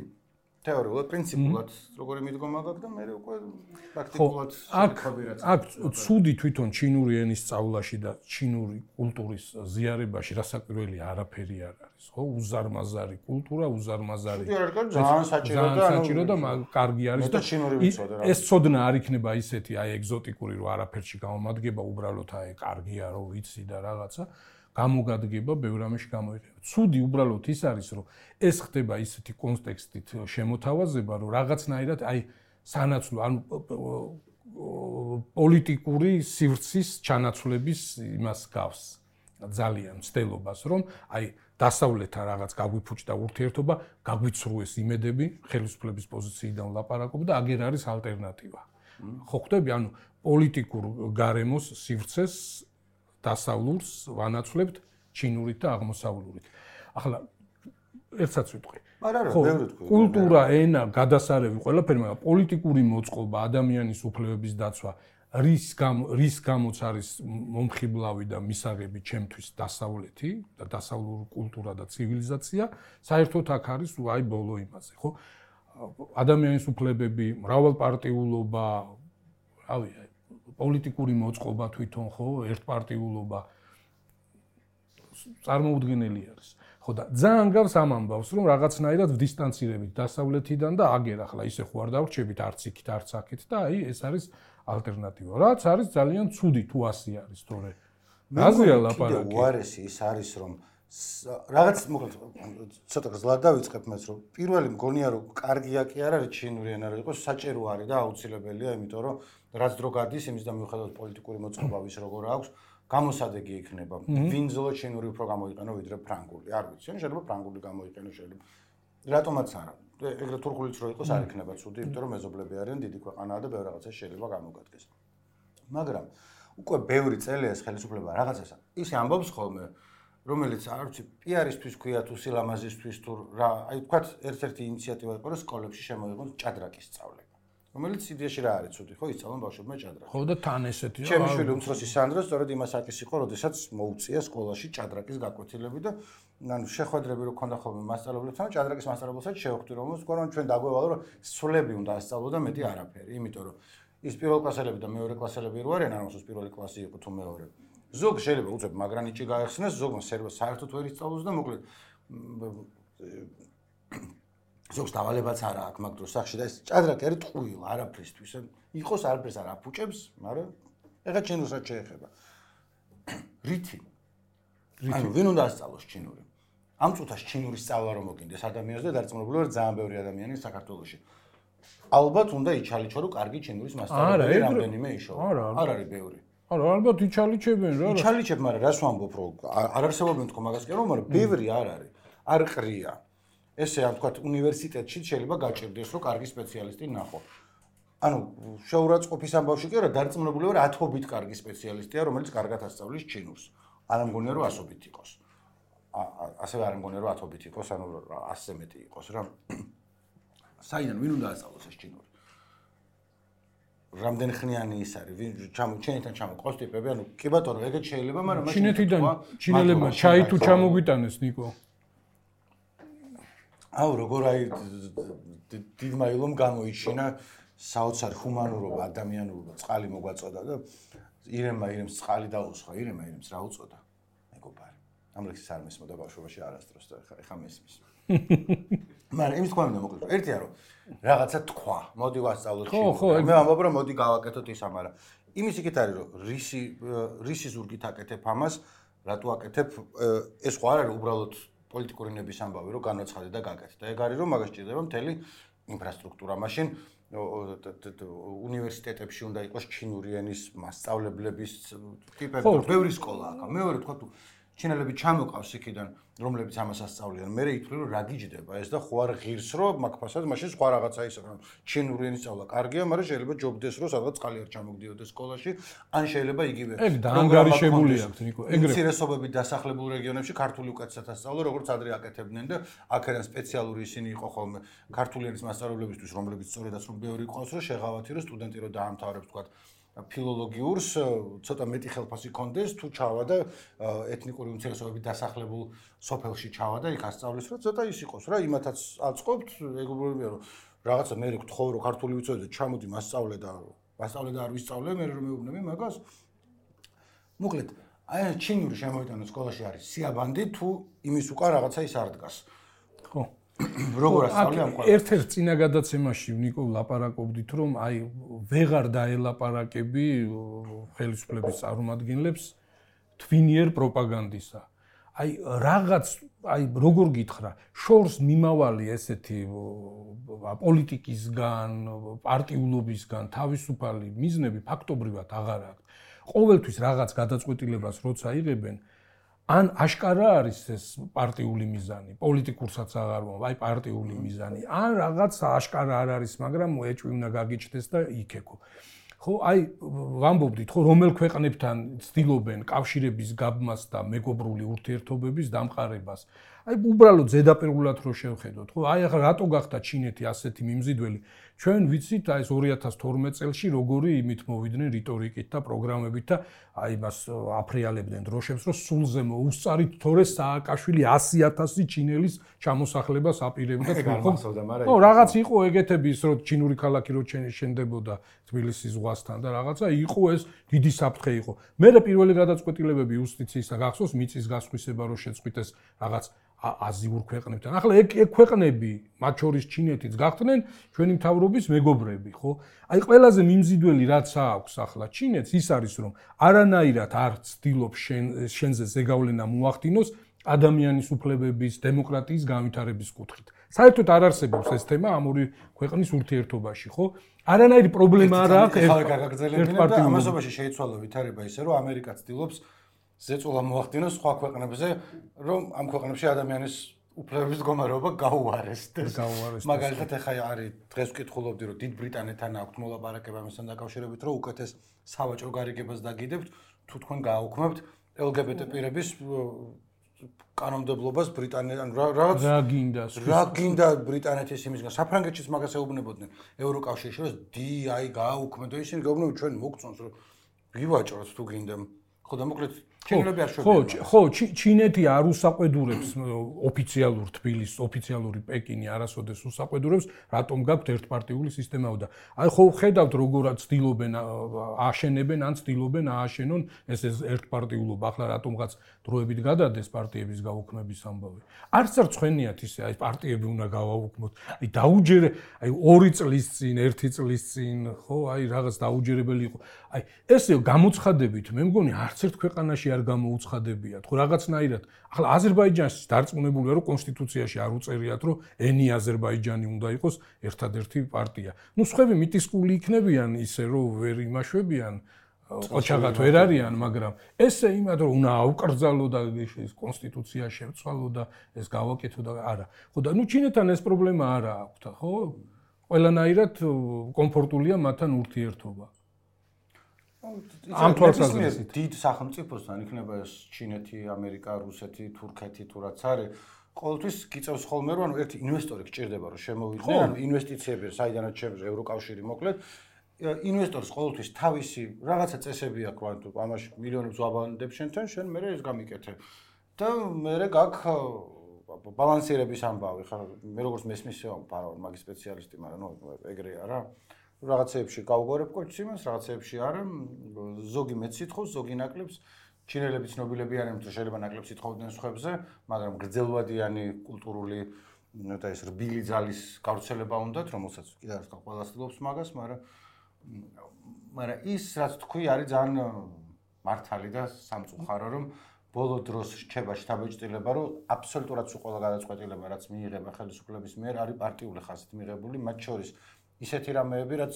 A: თეორიულად, პრინციპულად როგორი მიდგომა გაქვს და მე უკვე პრაქტიკულად
B: ხობირად. აქ ცუდი თვითონ ჩინური ენის სწავლაში და ჩინური კულტურის ზიარებაში რასაკვირველია არაფერი არ არის, ხო? უზარმაზარი კულტურა, უზარმაზარი.
A: ძალიან საჭირო და
B: კარგი არის და ეს ცოდნა არ იქნება ისეთი აი ეგზოტიკური რომ არაფერში გამომადგება, უბრალოდ აი კარგია რომ ვიცი და რაღაცა. გამოგადგება ბევრ ამაში გამოიყენება. ცუდი უბრალოდ ის არის, რომ ეს ხდება ისეთი კონტექსტით შემოთავაზება, რომ რაღაცნაირად აი სანაცვლო, ანუ პოლიტიკური სივრცის ჩანაცვლების იმას გავს. ძალიან მცდელობას, რომ აი დასავლეთთან რაღაც გაგვიფუჭდა ურთიერთობა, გაგვიცრუეს იმედები, ხელისუფლების პოზიციიდან ვლაპარაკობ და აგერ არის ალტერნატივა. ხო ხვდები, ანუ პოლიტიკურ გარემოს სივრცეს დასავლურს ვანაცვლებთ ჩინურით და აღმოსავლურით. ახლა ერთსაც ვიტყვი.
A: ხო,
B: კულტურა, ენა, გადასარევი, ყველაფერი, მაგრამ პოლიტიკური მოწყობა, ადამიანის უფლებების დაცვა, რის გამოც არის მომხიბლავი და მისაღები ჩემთვის დასავლეთი და დასავლური კულტურა და ცივილიზაცია, საერთოდ აქ არის აი ბოლო იმაზე, ხო? ადამიანის უფლებები, მრავალპარტიულობა, რავი, პოლიტიკური მოწყობა თვითონ ხო, ერთპარტიულობა წარმოუდგენელი არის. ხო და ძალიან გავს ამ ამბავს, რომ რაღაცნაირად დისტანცირებით დასავლეთიდან და აგერ ახლა ისე ხო არ დავრჩებით არც იქით, არც აქეთ და აი ეს არის ალტერნატივა. რაც არის ძალიან ცუდი თუ ასე არის, თორე რაზეა ლაპარაკი?
A: უარესი ის არის, რომ რაღაც მოკლედ ცოტა გზლად დავიწყებ მას, რომ პირველი მგონია რომ კარგია კი არ არის ჩინური ენა, რომ იყოს საჭირო არის და აუცილებელია, იმიტომ რომ რაც დრო გადის, იმის და მიუხედავად პოლიტიკური მოწყობა ვის როგორ აქვს, გამოსადეგი იქნება. ვინ ზოლო ჩინური უფრო გამოიყენო ვიდრე ფრანგული. არ ვიცი, შეიძლება ფრანგული გამოიყენო, შეიძლება. რატომაც არა. ეგრე თურქულიც რო იყოს არ იქნება ცუდი, იმიტომ რომ მეზობლები არიან, დიდი ქვეყანაა და ბევრ რაღაცას შეიძლება გამოგადგეს. მაგრამ უკვე ბევრი წელია ეს ხელისუფლება რაღაცას ისე ამბობს ხოლმე, რომელიც არ ვიცი, პიარისთვის ქვია თუ სილამაზისთვის თუ რა, აი თქვათ ერთ-ერთი ინიციატივა იყო, რომ სკოლებში შემოიღონ ჭადრაკის სწავლება. რომელიც იდეაში რა არის ცუდი, ხო, ისწავლონ ბავშვებმა ჭადრაკი.
B: ხო და თან ესეთი.
A: ჩემი შვილი უმცროსი სანდრა სწორედ იმას აკის იყო, როდესაც მოუწია სკოლაში ჭადრაკის გაკვეთილები და ანუ შეხვედრები რო ქონდა ხოლმე მასწავლებლებთან, ჭადრაკის მასწავლებელსაც შევხვდი, რომ ჩვენ დაგვევალო, რომ სულები უნდა ასწავლო და მეტი არაფერი, იმიტომ რომ ის პირველკლასელები და მეორეკლასელები რო არიან, ანუ პირველი კლასი იყო თუ მეორე. ზოგ შეიძლება უცებ მაგრანიჭი გაეხსნას, ზოგმა საერთოდ ვერ ისწავლოს და მოკლედ ზოგს დავალებაც არა აქვს მაგ დროს სახში და ეს ჭადრაკი არის ტყუილ არაფრისთვის. იყოს არაფერს არ აფუჭებს, მაგრამ ეხა ჩინურსაც შეეხება. რითი? ანუ ვინ უნდა ასწავლოს ჩინური? ამ წუთას ჩინურის სწავლა რომ მოგინდეს ადამიანს და დარწმუნებული ვარ ძალიან ბევრი ადამიანი საქართველოში. ალბათ უნდა იჩალიჩო რომ კარგი ჩინურის მასწავლებელი რამდენიმე იშოვა. არ არის ბევრი.
B: არა, ალბათ იჩალიჩებენ რა.
A: იჩალიჩებ, მაგრამ რას ვამბობ, რომ არ არსებობენ თქო მაგას კი, მაგრამ ბევრი არ არის. არ ყრია. ესე ამ თქვათ უნივერსიტეტში შეიძლება გაჭირდეს რომ კარგი სპეციალისტი ნახო. ანუ შეურაცხყოფის ამბავში კი არა, დარწმუნებული ვარ 10-ობით კარგი სპეციალისტია, რომელიც კარგად ასწავლის ჩინურს. არ მგონია რომ 100-ობით იყოს. ასევე არ მგონია რომ 10-ობით იყოს, ანუ 100-ზე მეტი იყოს რა. საიდან ვინ უნდა ასწავლოს ეს ჩინური? რამდენი ხნიანი ის არის? ვინ ჩინეთთან ჩამოყავს ტიპები? ანუ კი ბატონო, ეგეც შეიძლება, მაგრამ
B: ჩინეთიდან ჩინელებმა ჩაი თუ ჩამოგვიტანეს ნიკო.
A: აუ როგორ აი დიდმა ილომ გამოიჩინა საოცარ ჰუმანურობა, ადამიანურობა, წყალი მოგვაწოდა და ირემს წყალი დაუსხა, ირემს რა უწოდა? მეგობარი. ამ ლექსის არ მესმოდა ბავშვობაში არასდროს და ეხა მესმის. მაგრამ იმის თქვა მინდა მოკლედ. ერთია რომ რაღაცა თქვა, მოდი ვასწავლოთ ჩინური. მე ამბობ რომ მოდი გავაკეთოთ ის ამარა. იმის იქით არის რომ რისი ზურგით აკეთებ ამას, რატო აკეთებ ეს ხო არ არის უბრალოდ პოლიტიკური ნების ამბავი რომ განაცხადე და გაკეთე. და ეგ არის რომ მაგას ჭირდება მთელი ინფრასტრუქტურა. მაშინ უნივერსიტეტებში უნდა იყოს ჩინური ენის მასწავლებლების ტიპები, ბევრი სკოლა აქვს. მეორე თქვა თუ ჩინელები ჩამოყავს იქიდან, რომლებიც ამას ასწავლიან, მე ითვლი რომ რა გიჯდება ეს და ხო არ ღირს რომ მაგფასად მაშინ სხვა რაღაცა ისე რომ ჩინური ენის სწავლა კარგია, მაგრამ შეიძლება ჯობდეს რომ სადღაც წყალი არ ჩამოგდიოდეს სკოლაში, ან შეიძლება იგივე.
B: ეგ დაანგარიშებული აქვს ნიკო, ეგრე.
A: უმცირესობებით დასახლებულ რეგიონებში ქართული უკეთესად ასწავლო, როგორც ადრე აკეთებდნენ და აქედან სპეციალური ისინი იყო ხოლმე ქართული ენის მასწავლებლებისთვის, რომლებიც სწორედაც რომ ბევრი ყავს, რომ შეღავათი რომ სტუდენტი რომ დაამთავრებს თქვა ფილოლოგიურს ცოტა მეტი ხელფასი კონდეს თუ ჩავა და ეთნიკური უმცირესობებით დასახლებულ სოფელში ჩავა და იქ ასწავლის რომ ცოტა ის იყოს რა იმათაც აწყობთ ეგრეობია რომ რაღაცა მე გთხოვ რომ ქართული ვიცოდე ჩამოდი მასწავლე და არ ვისწავლე მე რომ მეუბნები მაგას მოკლედ აი ჩინური შემოიტანო სკოლაში არის სიაბანდი თუ იმის უკან რაღაცა ის არ დგას
B: ხო
A: როგორ ასწავლე ამ ყველაფერს
B: ერთ-ერთ წინა გადაცემაში ნიკო ლაპარაკობდით რომ აი ვეღარ დაელაპარაკები ხელისუფლების წარმომადგენლებს თვინიერ პროპაგანდისა აი რაღაც აი როგორ გითხრა შორს მიმავალი ესეთი პოლიტიკისგან პარტიულობისგან თავისუფალი მიზნები ფაქტობრივად აღარ აქვს ყოველთვის რაღაც გადაწყვეტილებას როცა იღებენ ან აშკარა არის ეს პარტიული მიზანი, პოლიტიკურსაც აღარ ვამბობ, აი პარტიული მიზანი, ან რაღაც აშკარა არ არის, მაგრამ ეჭვი უნდა გაგიჩნდეს და იქეკო. ხო, აი ვამბობდით, ხო, რომელ ქვეყნებთან ცდილობენ კავშირების გაბმას და მეგობრული ურთიერთობების დამყარებას. აი უბრალოდ ზედაპირულად რო შევხედოთ, ხო, აი ახლა რატო გახდა ჩინეთი ასეთი მიმზიდველი? ჩვენ ვიცით აი ეს 2012 წელს როგორი იმით მოვიდნენ რიტორიკით და პროგრამებით და აი მას აფრიალებდნენ დროშებს, რომ სულზე მოუსწარით თორე სააკაშვილი 100,000 ჩინელის ჩამოსახლებას აპირებდა
A: თქო.
B: ხო, რაღაც იყო ეგეთები ის რომ ჩინური ქალაქი რო შენდებოდა თბილისის ზღვასთან და რაღაცა იყო ეს დიდი საფრთხე იყო. მერე პირველი გადაწყვეტილებები იუსტიციის გახსოვს მიწის გასხვისება რო შეწყვიტეს რაღაც აზიურ ქვეყნებთან. ახლა ეგ ქვეყნები, მათ შორის ჩინეთიც გახდნენ ჩვენი მთავრობის მეგობრები, ხო? აი ყველაზე მიმზიდველი რაც აქვს ახლა ჩინეთს ის არის რომ არანაირად არ ცდილობს შენზე ზეგავლენა მოახდინოს ადამიანის უფლებების, დემოკრატიის განვითარების კუთხით. საერთოდ არ არსებობს ეს თემა ამ ორი ქვეყნის ურთიერთობაში, ხო? არანაირი პრობლემა არ აქვს
A: ერთ ამასობაში შეიცვალა ვითარება ისე რომ ამერიკა ცდილობს ზეწოლა მოახდინოს სხვა ქვეყნებზე, რომ ამ ქვეყნებში ადამიანის უფლებების მდგომარეობა გაუარესდეს. მაგალითად, ახლა არის დღეს ვკითხულობდი, რომ დიდ ბრიტანეთთან აქვთ მოლაპარაკება ამასთან დაკავშირებით, რომ უკეთეს სავაჭრო გარიგებას დაგიდებთ, თუ თქვენ გააუქმებთ LGBT პირების კანონმდებლობას ბრიტანეთთან რა გინდა ბრიტანეთის იმისგან საფრანგეთშიც მაგას ეუბნებოდნენ ევროკავშირში რომ აი გააუქმებთ და ისინი გეუბნებიან ჩვენ მოგწონს რომ ვივაჭროთ თუ გინდა ხო და მოკლედ ჩინელები არ შევიდიან
B: ხო ჩინეთი არ უსაყვედურებს ოფიციალურ თბილისს ოფიციალური პეკინი არასოდეს უსაყვედურებს რატომ გაქვთ ერთპარტიული სისტემა და აი ხო ხედავთ როგორ ცდილობენ აშენებენ ან ცდილობენ ააშენონ ეს ერთპარტიულობა ახლა რატომღაც დროებით გადადეს პარტიების გაუქმების ამბავი არც არ ცხენიათ ისე აი პარტიები უნდა გავაუქმოთ აი დაუჯერე აი 2 წლის წინ 1 წლის წინ ხო აი რაღაც დაუჯერებელი იყო აი ესე გამოცხადებით მე მგონი არც ერთ ქვეყანაში არ გამოუცხადებიათ ხო რაღაცნაირად ახლა აზერბაიჯანში დარწმუნებულია რომ კონსტიტუციაში არ უწერიათ რომ ენი აზერბაიჯანი უნდა იყოს ერთადერთი პარტია ნუ სხვები მიტისკული იქნებიან ისე რომ ვერ იმაშვებიან ოჩაღად ვერ არიან მაგრამ ესე იმად რომ უნდა აუკრძალო და ეს კონსტიტუცია შევცვალო და ეს გავაკეთო და არა ხო და ნუ ჩინეთთან ეს პრობლემა არა აქვთ ხო ყველანაირად კომფორტულია მათთან ურთიერთობა ამ თვალსაზრისით
A: დიდ სახელმწიფოსთან იქნება ეს ჩინეთი, ამერიკა, რუსეთი, თურქეთი თუ რაც არის ყოველთვის გიწევს ხოლმე რომ ერთი ინვესტორი გჭირდება რომ შემოვიდნენ ანუ ინვესტიციები საიდანაც შევა ევროკავშირი მოკლედ ინვესტორს ყოველთვის თავისი რაღაცა წესები აქვს ანუ ამაში მილიონებს ვაბანდებ შენთან შენ მე ეს გამიკეთე და მე გაქვს ბალანსირების ამბავი ხარ მე როგორც მესმის ვარ მაგის სპეციალისტი მაგრამ ნუ ეგრეა რა რაღაცეებში გავგორებ კოჩს იმას, რაღაცეებში არა, ზოგი მეც სიტყავს, ზოგი ნაკლებს, ჩინელები ცნობილები არიან, რომ შეიძლება ნაკლებს სიტყავდნენ სხვებზე, მაგრამ გრძელვადიანი კულტურული და ეს რბილი ძალის გავრცელება უნდათ, რომელსაც კიდევ ერთხელ ყველა ცდილობს მაგას, მაგრამ ის რაც თქვი არის ძალიან მართალი და სამწუხარო, რომ ბოლო დროს რჩება შთაბეჭდილება, რომ აბსოლუტურად სულ ყველა გადაწყვეტილება, რაც მიიღება ხელისუფლების მიერ, არის პარტიული ხასით მიღებული, მათ შორის ისეთი რამეები, რაც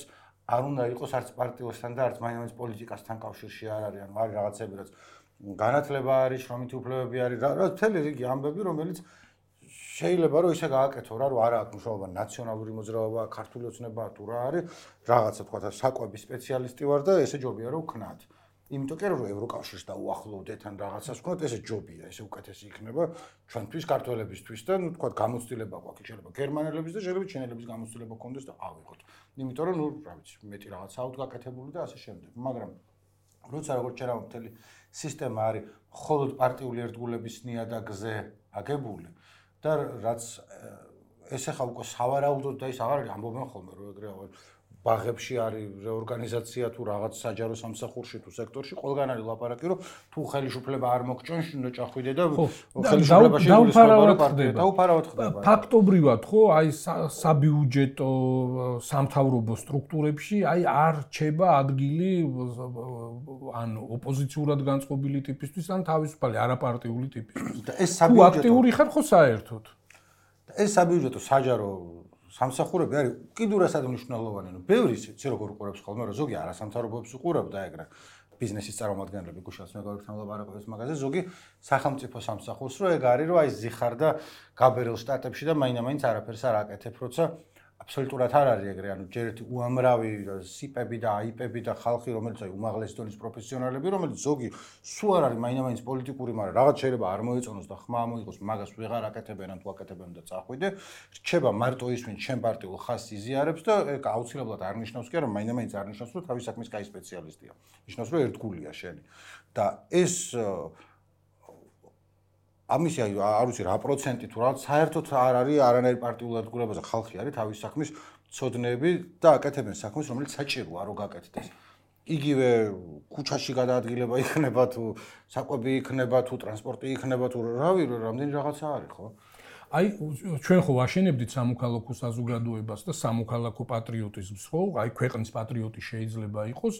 A: არ უნდა იყოს არც პარტიოსთან და არც მაინც პოლიტიკასთან კავშირში არ არის, ანუ არის რაღაცები, რაც განათლება არის, შრომითი უფლებები არის, რა მთელი რიგი ამბები, რომელიც შეიძლება რომ ისე გააკეთო რა, რომ არა აქვს მნიშვნელობა ნაციონალური მოძრაობა, ქართული ოცნება თუ რა არის, რაღაცა თქვა საკვების სპეციალისტი ვარ და ესე ჯობია რომ ვქნათ. იმიტომ კი რომ ევროკავშირს დაუახლოვდეთ ან რაღაცას ვქნათ, ესე ჯობია, ესე უკეთესი იქნება ჩვენთვის ქართველებისთვის და ნუ თქვა გამოცდილება გვაქვს, შეიძლება გერმანელების და შეიძლება ჩინელების გამოცდილება გქონდეს და ავიღოთ. იმიტომ რომ ნუ რა ვიცი, მეტი რაღაცა აუთ გაკეთებული და ასე შემდეგ. მაგრამ როცა როგორც შეიძლება მთელი სისტემა არის მხოლოდ პარტიული ერთგულების ნიადაგზე აგებული და რაც ეს ახლა უკვე სავარაუდოდ და ის აღარ არის ამბობენ ხოლმე რომ ეგრე ბაღებში არის რეორგანიზაცია თუ რაღაც საჯარო სამსახურში თუ სექტორში ყველგან არის ლაპარაკი რომ თუ ხელისუფლება არ მოგჭონს უნდა ჭახვიდე და ხელისუფლებაში დაუფარავად ხდება
B: ფაქტობრივად ხო აი საბიუჯეტო სამთავრობო სტრუქტურებში აი არ რჩება ადგილი ან ოპოზიციურად განწყობილი ტიპისთვის ან თავისუფალი არაპარტიული ტიპისთვის
A: და ეს საბიუჯეტო
B: აქტიური ხარ ხო საერთოდ
A: ეს საბიუჯეტო საჯარო სამსახურები არის კიდურასად მნიშვნელოვანი, ნუ ბევრი ისე როგორ უყურებს ხოლმე, რომ ზოგი არასამთავრობოებს უყურებ და ეგრე ბიზნესის წარმომადგენლები გუშინაც მეგობრებთან ლაპარაკობთ მაგაზე, ზოგი სახელმწიფო სამსახურს, რომ ეგ არის, რომ აი ზიხარ და გაბერილ შტატებში და მაინც არაფერს არ აკეთებ, როცა აბსოლუტურად არ არის ეგრე, ანუ ჯერ ერთი უამრავი სიპები და აიპები და ხალხი, რომელიც აი უმაღლესი დონის პროფესიონალები, რომელიც ზოგი სულ არ არის მაინც პოლიტიკური, მაგრამ რაღაც შეიძლება არ მოეწონოს და ხმა მოიღოს, მაგას ვეღარ აკეთებენ ან თუ აკეთებენ და წახვიდე, რჩება მარტო ის, ვინც ჩემ პარტიულ ხაზს იზიარებს და ეგ აუცილებლად არ ნიშნავს კი, რომ მაინც არ ნიშნავს, რომ თავის საქმის კაი სპეციალისტია. ნიშნავს, რომ ერთგულია შენი. და ეს ამისი არ ვიცი რა პროცენტი თუ რაღაც საერთოდ არ არის არანაირი პარტიული ერთგულებაზე ხალხი არის თავის საქმის მცოდნეები და აკეთებენ საქმეს რომელიც საჭიროა რომ გაკეთდეს. იგივე ქუჩაში გადაადგილება იქნება თუ საკვები იქნება თუ ტრანსპორტი იქნება თუ რავი რამდენი რაღაცა არის ხო?
B: აი ჩვენ ხო ვაშენებდით სამოქალაქო საზოგადოებას და სამოქალაქო პატრიოტიზმს ხო? აი ქვეყნის პატრიოტი შეიძლება იყოს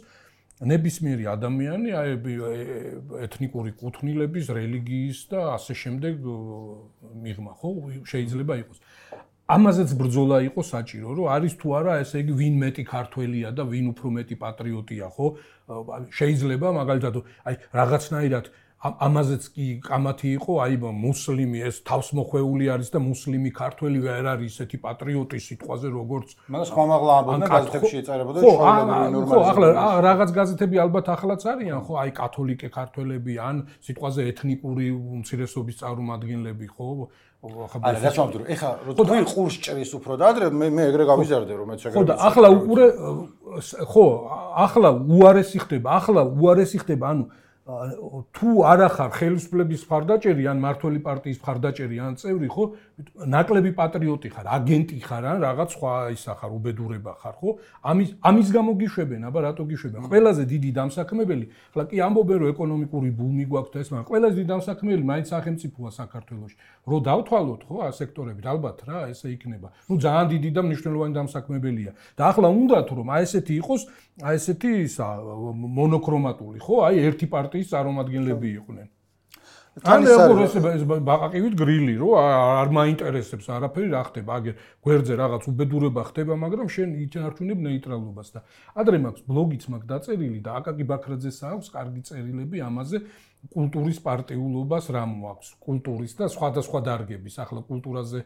B: ნებისმიერი ადამიანი, აი ეთნიკური კუთვნილების, რელიგიის და ასე შემდეგ მიღმა, ხო, შეიძლება იყოს. ამაზეც ბრძოლა იყოს საჭირო, რომ არის თუ არა, ესე იგი ვინ მეტი ქართველია და ვინ უფრო მეტი პატრიოტია, ხო? შეიძლება მაგალითად, აი რაღაცნაირად ამაზეც კი კამათი იყო, აი მუსლიმი ეს თავსმოხვეული არის და მუსლიმი ქართველი ვერ არის ისეთი პატრიოტი სიტყვაზე როგორც
A: მაგას ხმამაღლა ამბობდნენ გაზეთებში ეწერებოდა ჩვეულებრივი ნორმალიზება.
B: ხო, ახლა რაღაც გაზეთები ალბათ ახლაც არიან, ხო, აი კათოლიკე ქართველები ან სიტყვაზე ეთნიკური უმცირესობის წარმომადგენლები, ხო?
A: არა, რა თქმა უნდა, ეხლა როცა ყურს ჭრის უფრო და ადრე მე ეგრე გავიზარდე რომ მეც ეგრე.
B: ხო და ახლა უყურე ხო, ახლა უარესი ხდება, ანუ თუ არა ხარ ხელისუფლების მხარდაჭერი ან მართველი პარტიის მხარდაჭერი ან წევრი ხო ნაკლები პატრიოტი ხარ აგენტი ხარ ან რაღაც სხვა ისა ხარ უბედურება ხარ ხო ამის გამო გიშვებენ აბა რატო გიშვებენ ყველაზე დიდი დამსაქმებელი ხლა კი ამბობენ რომ ეკონომიკური ბუმი გვაქვს და ეს მაგრამ ყველაზე დიდი დამსაქმებელი მაინც სახელმწიფოა საქართველოში რო დავთვალოთ ხო სექტორებით ალბათ რა ესე იქნება ნუ ძალიან დიდი და მნიშვნელოვანი დამსაქმებელია და ახლა უნდათ რომ აი ესეთი იყოს აი ესეთი ისა მონოქრომატული ხო აი ერთი პარტიის წარმომადგენლები იყვნენ ან ეს ბაყაყივით გრილი რო არ მაინტერესებს არაფერი რა ხდება აგერ გვერდზე რაღაც უბედურება ხდება მაგრამ შენ ითარჩუნებ ნეიტრალობას და ადრე მაქვს ბლოგიც მაქვს დაწერილი და აკაკი ბაქრაძეს აქვს კარგი წერილები ამაზე კულტურის პარტიულობას რა მოაქვს კულტურის და სხვადასხვა დარგების ახლა კულტურაზე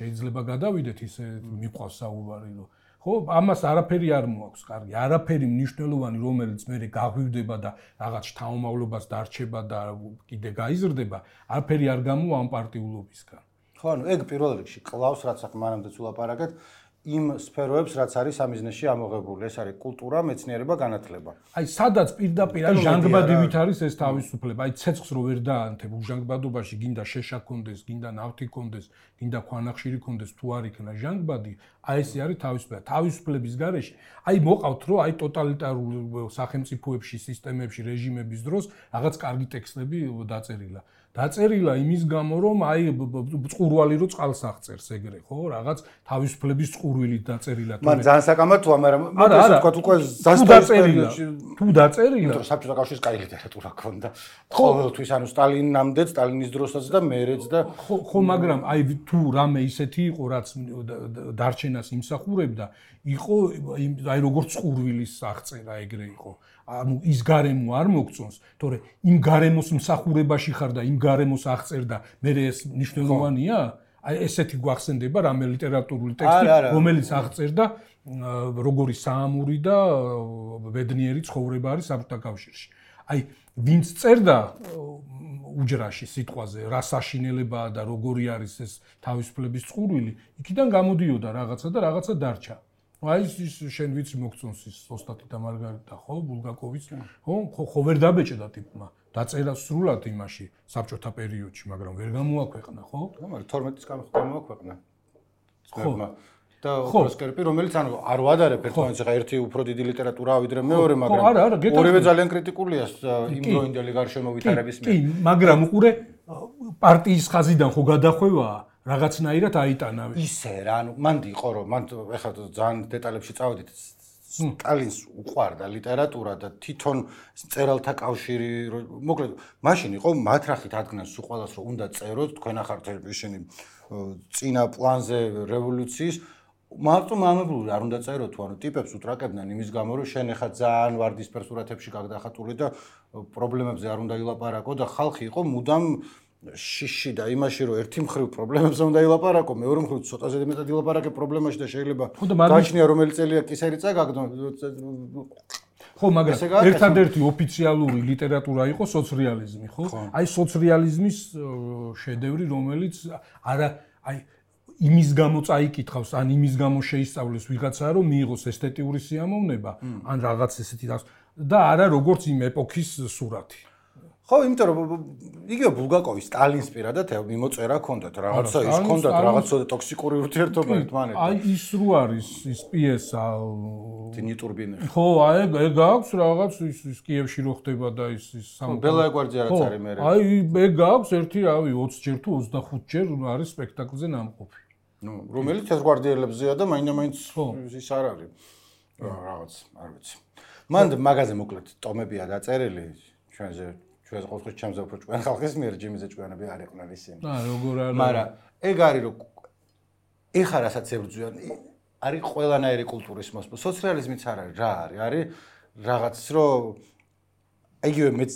B: შეიძლება გადავიდეთ ისე მიყვავს საუბარი რომ ხო ამას არაფერი არ მოაქვს კარგი არაფერი მნიშვნელოვანი რომელიც მე გაგვივდება და რაღაც შთამომავლობას დარჩება და კიდე გაიზრდება არაფერი არ გამოვა ამ პარტიულობისგან
A: ხო ანუ ეგ პირველ რიგში კლავს რაც ახლა მანამდე ვლაპარაკეთ იმ სფეროებს რაც არის სამიზნეში ამოღებული ეს არის კულტურა მეცნიერება განათლება
B: აი სადაც პირდაპირ აი ჟანგბადივით არის ეს თავისუფლება აი ცეცხლს რო ვერ დაანთებ ჟანგბადობაში გინდა შეშა კონდეს გინდა ნავთი კონდეს გინდა ქვანახშირი კონდეს თუ არ იქნა ჟანგბადი აი ესე არის თავისუფლება თავისუფლების გარეშე აი მოყავთ რომ აი ტოტალიტარულ სახელმწიფოებში სისტემებში რეჟიმების დროს რაღაც კარგი ტექსტები დაწერილა დაწერილა იმის გამო, რომ აი წყურვალი რო წყალს აღწერს ეგრე, ხო? რაღაც თავისუფლების წყურვილით დაწერილა.
A: მან ძალიან საკამათოა, მაგრამ
B: არა,
A: თქვა უკვე ზასტრის პერიოდში
B: თუ დაწერილა,
A: იმიტომ რომ საბჭოთა კავშირის კაი ლიტერატურა ჰქონდა. ყოველთვის ანუ სტალინამდეც, სტალინის დროსაც და მერეც და
B: ხო, მაგრამ აი თუ რამე ისეთი იყო, რაც დარჩენას იმსახურებდა, იყო აი როგორც წყურვილის აღწერა ეგრე იყო. ანუ ის გარემო არ მოგწონს, თორე იმ გარემოს მსახურებაში ხარ და იმ გარემოს აღწერდა, მე ეს მნიშვნელოვანია? აი ესეთი გვახსენდება რამე ლიტერატურული ტექსტი, რომელიც აღწერდა როგორი საამური და ბედნიერი ცხოვრება არის საბჭოთა კავშირში. აი ვინც წერდა უჯრაში სიტყვაზე, რა საშინელებაა და როგორი არის ეს თავისუფლების წყურვილი, იქიდან გამოდიოდა რაღაცა და რაღაცა დარჩა. აი ის შენ ვიცი მოგწონს ის ოსტატი და მარგარიტა, ხო, ბულგაკოვის, ხო ვერ დაბეჭდა ტიპმა. დაწერა სრულად იმაში საბჭოთა პერიოდში, მაგრამ ვერ გამოაქვეყნა, ხო?
A: მაგრამ 12-ის გამოაქვეყნა. ხო. და ოპროსკერპი, რომელიც ანუ არ ვადარებ ერთმანეთს, ხა ერთი უფრო დიდი ლიტერატურაა ვიდრე მეორე, მაგრამ ორივე ძალიან კრიტიკულია იმ დროინდელი გარშემო ვითარების მიერ.
B: კი, მაგრამ უყურე პარტიის ხაზიდან ხო გადახვევაა რაღაცნაირად აიტანა.
A: ისე რა, ანუ მანდი იყო რომ მან ეხლა ძალიან დეტალებში წავედით. სტალინს უყვარდა ლიტერატურა და თვითონ წერალთა კავშირი, მოკლედ, მაშინ იყო მათრახით ადგენს სულ ყველას რომ უნდა წეროთ, თქვენ ახართ ისინი წინა პლანზე რევოლუციის მარტო მამებლური არ უნდა წეროთ თუ ანუ ტიპებს უთრაკებდნენ იმის გამო რომ შენ ახლა ძალიან ვარდისფერ სურათებში გაგდახატული და პრობლემებზე არ უნდა ილაპარაკო და ხალხი იყო მუდამ შიში და იმაში რომ ერთი მხრივ პრობლემებზე უნდა ილაპარაკო, მეორე მხრივ ცოტაზე მეტად ილაპარაკე პრობლემაში და შეიძლება გაჩნია რომელი წელია კისერი წაგაგდო.
B: ხო, მაგრამ ერთადერთი ოფიციალური ლიტერატურა იყო სოციალიზმი, ხო? აი სოციალიზმის შედევრი, რომელიც არა აი იმის გამო წაიკითხავს, ან იმის გამო შეისწავლეს ვიღაცა, რომ მიიღოს ესთეტიური სიამოვნება, ან რაღაც ესეთი და არა როგორც იმ ეპოქის სურათი.
A: ხო, იმიტომ რომ იგივე ბულგაკოვის სტალინის პირადად მიმოწერა ჰქონდათ, რაღაცა ის ჰქონდათ, რაღაცა ტოქსიკური ურთიერთობა ერთმანეთთან.
B: აი ის რო არის ის პიესა
A: დინი ტურბინი.
B: ხო, აი ეგ აქვს რაღაც ის კიევში რო ხდება და ის
A: ბელა ეგვარძია რაც არის მე.
B: აი ეგ აქვს ერთი, რავი, 20 ჯერ თუ 25 ჯერ არის სპექტაკლზე ნამყოფი.
A: ნუ, რომელიც თეთრგვარდიელებზეა და მაინდა-მაინც ის არ არის. რაღაც, არ ვიცი. მან მაგაზე მოკლედ ტომებია დაწერილი ჩვენზე ჩვენს ყოველთვის ჩემზე უფრო ჭკვიან ხალხის მიერ ჯიმიზე ჭკვიანები არ იყვნენ ისინი.
B: როგორ არა.
A: მაგრამ ეგ არის რომ ეხა რასაც ებრძვიან, არის ყველანაირი კულტურის მოსპო. სოციალიზმიც არ არის, რა არის? არის რაღაც რომ იგივე მეც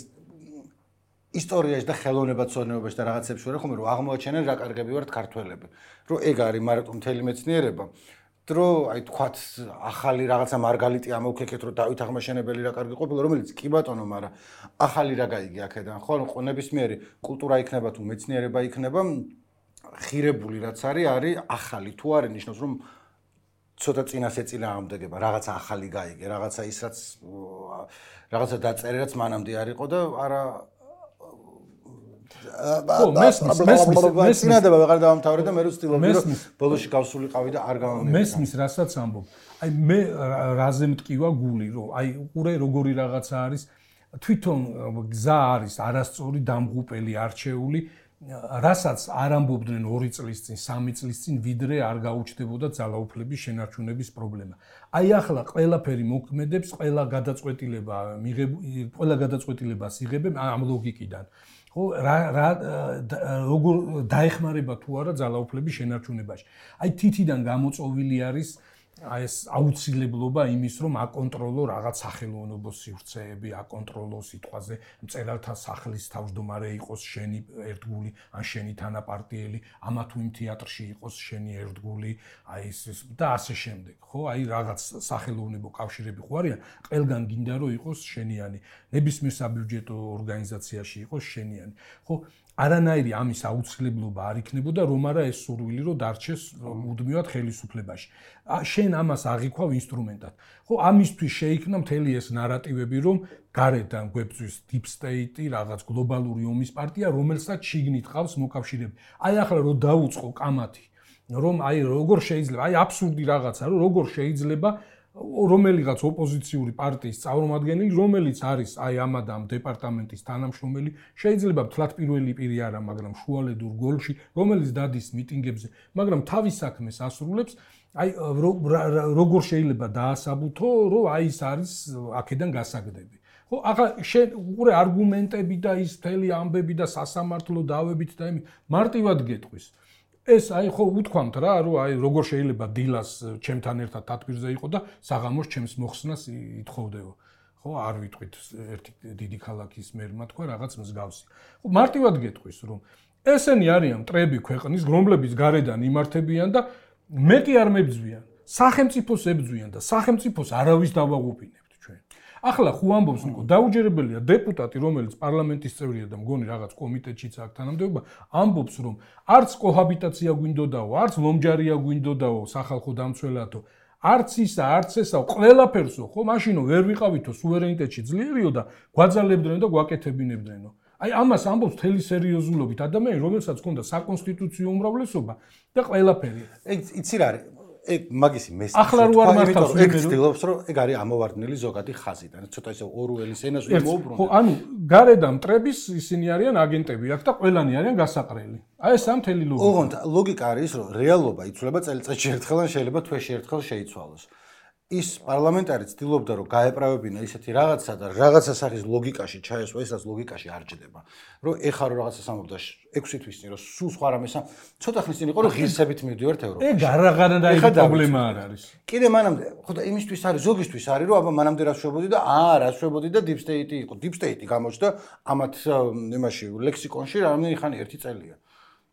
A: ისტორიაში და ხელოვნებაცოდნეობაში და რაღაცებში ვარ ხომ რომ აღმოაჩენენ რა კარგები ვართ ქართველები. რომ ეგ არის მარტო მთელი მეცნიერება. რომ აი თქვათ ახალი რაღაცა მარგალიტი ამოვქეკეთ რომ დავით აღმაშენებელი რა კარგი ყოფილა რომელიც კი ბატონო მაგრამ ახალი რა გაიგე აქედან ხო ნებისმიერი კულტურა იქნება თუ მეცნიერება იქნება ხირებული რაც არის ახალი თუ არის ნიშნავს რომ ცოტა წინასეწინა ამდეგება რაღაცა ახალი გაიგე რაღაცა ის რაც რაღაცა დაწერე რაც მანამდე არ იყო და არა მესმის ვეღარ დავამთავრე და მე რო ვცდილობდი რომ ბოლოში გავსულიყავი და არ გამომივიდა
B: მესმის რასაც ამბობ აი მე რაზე მტკივა გული რომ აი უყურე როგორი რაღაცა არის თვითონ გზა არის არასწორი დამღუპელი არჩეული რასაც არ ამბობდნენ 2 წლის წინ 3 წლის წინ ვიდრე არ გაუჩნდებოდა ძალაუფლების შენარჩუნების პრობლემა აი ახლა ყველაფერი მოქმედებს ყველა გადაწყვეტილებას იღებენ ამ ლოგიკიდან ხო როგორ დაეხმარება თუ არა ძალაუფლების შენარჩუნებაში. აი თითიდან გამოწოვილი არის აი ეს აუცილებლობა იმის რომ აკონტროლო რაღაც სახელმწიფო სივრცეები, აკონტროლო სიტყვაზე მწერალთა სახლის თავმჯდომარე იყოს შენი ერთგული ან შენი თანაპარტიელი, ამა თუ იმ თეატრში იყოს შენი ერთგული, აი ეს და ასე შემდეგ, ხო? აი რაღაც სახელმწიფო კავშირები ხო არიან, ყველგან გინდა რომ იყოს შენიანი, ნებისმიერ საბიუჯეტო ორგანიზაციაში იყოს შენიანი, ხო? არანაირი ამის აუცილებლობა არ იქნებოდა რომ არა ეს სურვილი რომ დარჩეს მუდმივად ხელისუფლებაში. შენ ამას აღიქვავ ინსტრუმენტად. ხო, ამისთვის შეიქმნა მთელი ეს ნარატივები რომ გარედან გვებძვის deep state-ი, რაღაც გლობალური ომის პარტია, რომელსაც შიგნით ყავს მოკავშირეები. აი ახლა რომ დაუწყო კამათი, რომ აი როგორ შეიძლება, აი აბსურდი რაღაცა, რომ როგორ შეიძლება რომელიღაც ოპოზიციური პარტიის წარმომადგენელი, რომელიც არის აი ამ და ამ დეპარტამენტის თანამშრომელი, შეიძლება თლათ პირველი პირი არა, მაგრამ შუალედურ გოლში, რომელიც დადის მიტინგებზე, მაგრამ თავის საქმეს ასრულებს, აი როგორ შეიძლება დაასაბუთო, რომ აი ეს არის აქედან გასაგდები. ხო, ახლა შენ უყურე არგუმენტები და ის მთელი ამბები და სასამართლო დავებით და იმით მარტივად გეტყვის. ეს აი ხო უთქვამთ რა, რომ აი როგორ შეიძლება დილას ჩემთან ერთად თათბირზე იყო და საღამოს ჩემს მოხსნას ითხოვდეო. ხო, არ ვიტყვით ერთი დიდი ქალაქის მერმა თქვა რაღაც მსგავსი. ხო, მარტივად გეტყვის, რომ ესენი არიან მტრები ქვეყნის, რომლებიც გარედან იმართებიან და მეტი არ მებძვიან. სახელმწიფოს ებძვიან და სახელმწიფოს არავის დავაღუპინებთ ჩვენ. ახლა ხო ამბობს ნიკო, დაუჯერებელია დეპუტატი, რომელიც პარლამენტის წევრია და მგონი რაღაც კომიტეტშიც აქვს თანამდებობა, ამბობს, რომ არც კოჰაბიტაცია გვინდოდაო, არც ლომჯარია გვინდოდაო სახალხო დამცველათო, არც ისა, არც ესა, ყველაფერსო, ხო, მაშინო ვერ ვიყავითო სუვერენიტეტში ძლიერიო და გვაძალებდნენ და გვაკეთებინებდნენო. აი ამას ამბობს მთელი სერიოზულობით ადამიანი, რომელსაც ჰქონდა საკონსტიტუციო უმრავლესობა და ყველაფერი.
A: ეგ იცი რა არის? ეგ მაგისი მესტი.
B: ახლა რო არ მართავს
A: ეგ ცდილობს, რომ ეგ არის ამოვარდნილი ზოგადი ხაზი და ცოტა ისე ორუელის ენას მოუბრუნდა.
B: ხო, ანუ გარედან მტრების ისინი არიან აგენტები აქ და ყველანი არიან გასაყრელი. აი ეს მთელი ლოგიკა.
A: ოღონდ ლოგიკა არის, რომ რეალობა იცვლება წელიწადში ერთხელ ან შეიძლება თვეში ერთხელ შეიცვალოს. ის პარლამენტარი ცდილობდა, რომ გაეправებინა ისეთი რაღაცა და რაღაცა სახის ლოგიკაში ჩაესვა, ესაც ლოგიკაში არ ჯდება. რომ ეხა რო რაღაცას ამბობდა 6 თვის წინ, რომ სულ სხვა რამეს ცოტა ხნის წინ იყო, რომ ღირსებით მივდივართ ევროპაში.
B: ეგ არაღანადაი პრობლემა არ არის.
A: კიდე მანამდე, ხო და იმისთვის არის, ზოგისთვის არის, რომ აბა მანამდე რა შვებოდი და რა შვებოდი და deep state იყო. deep state გამოჩნდა ამათ იმაში ლექსიკონში რამდენი ხანი 1 წელია.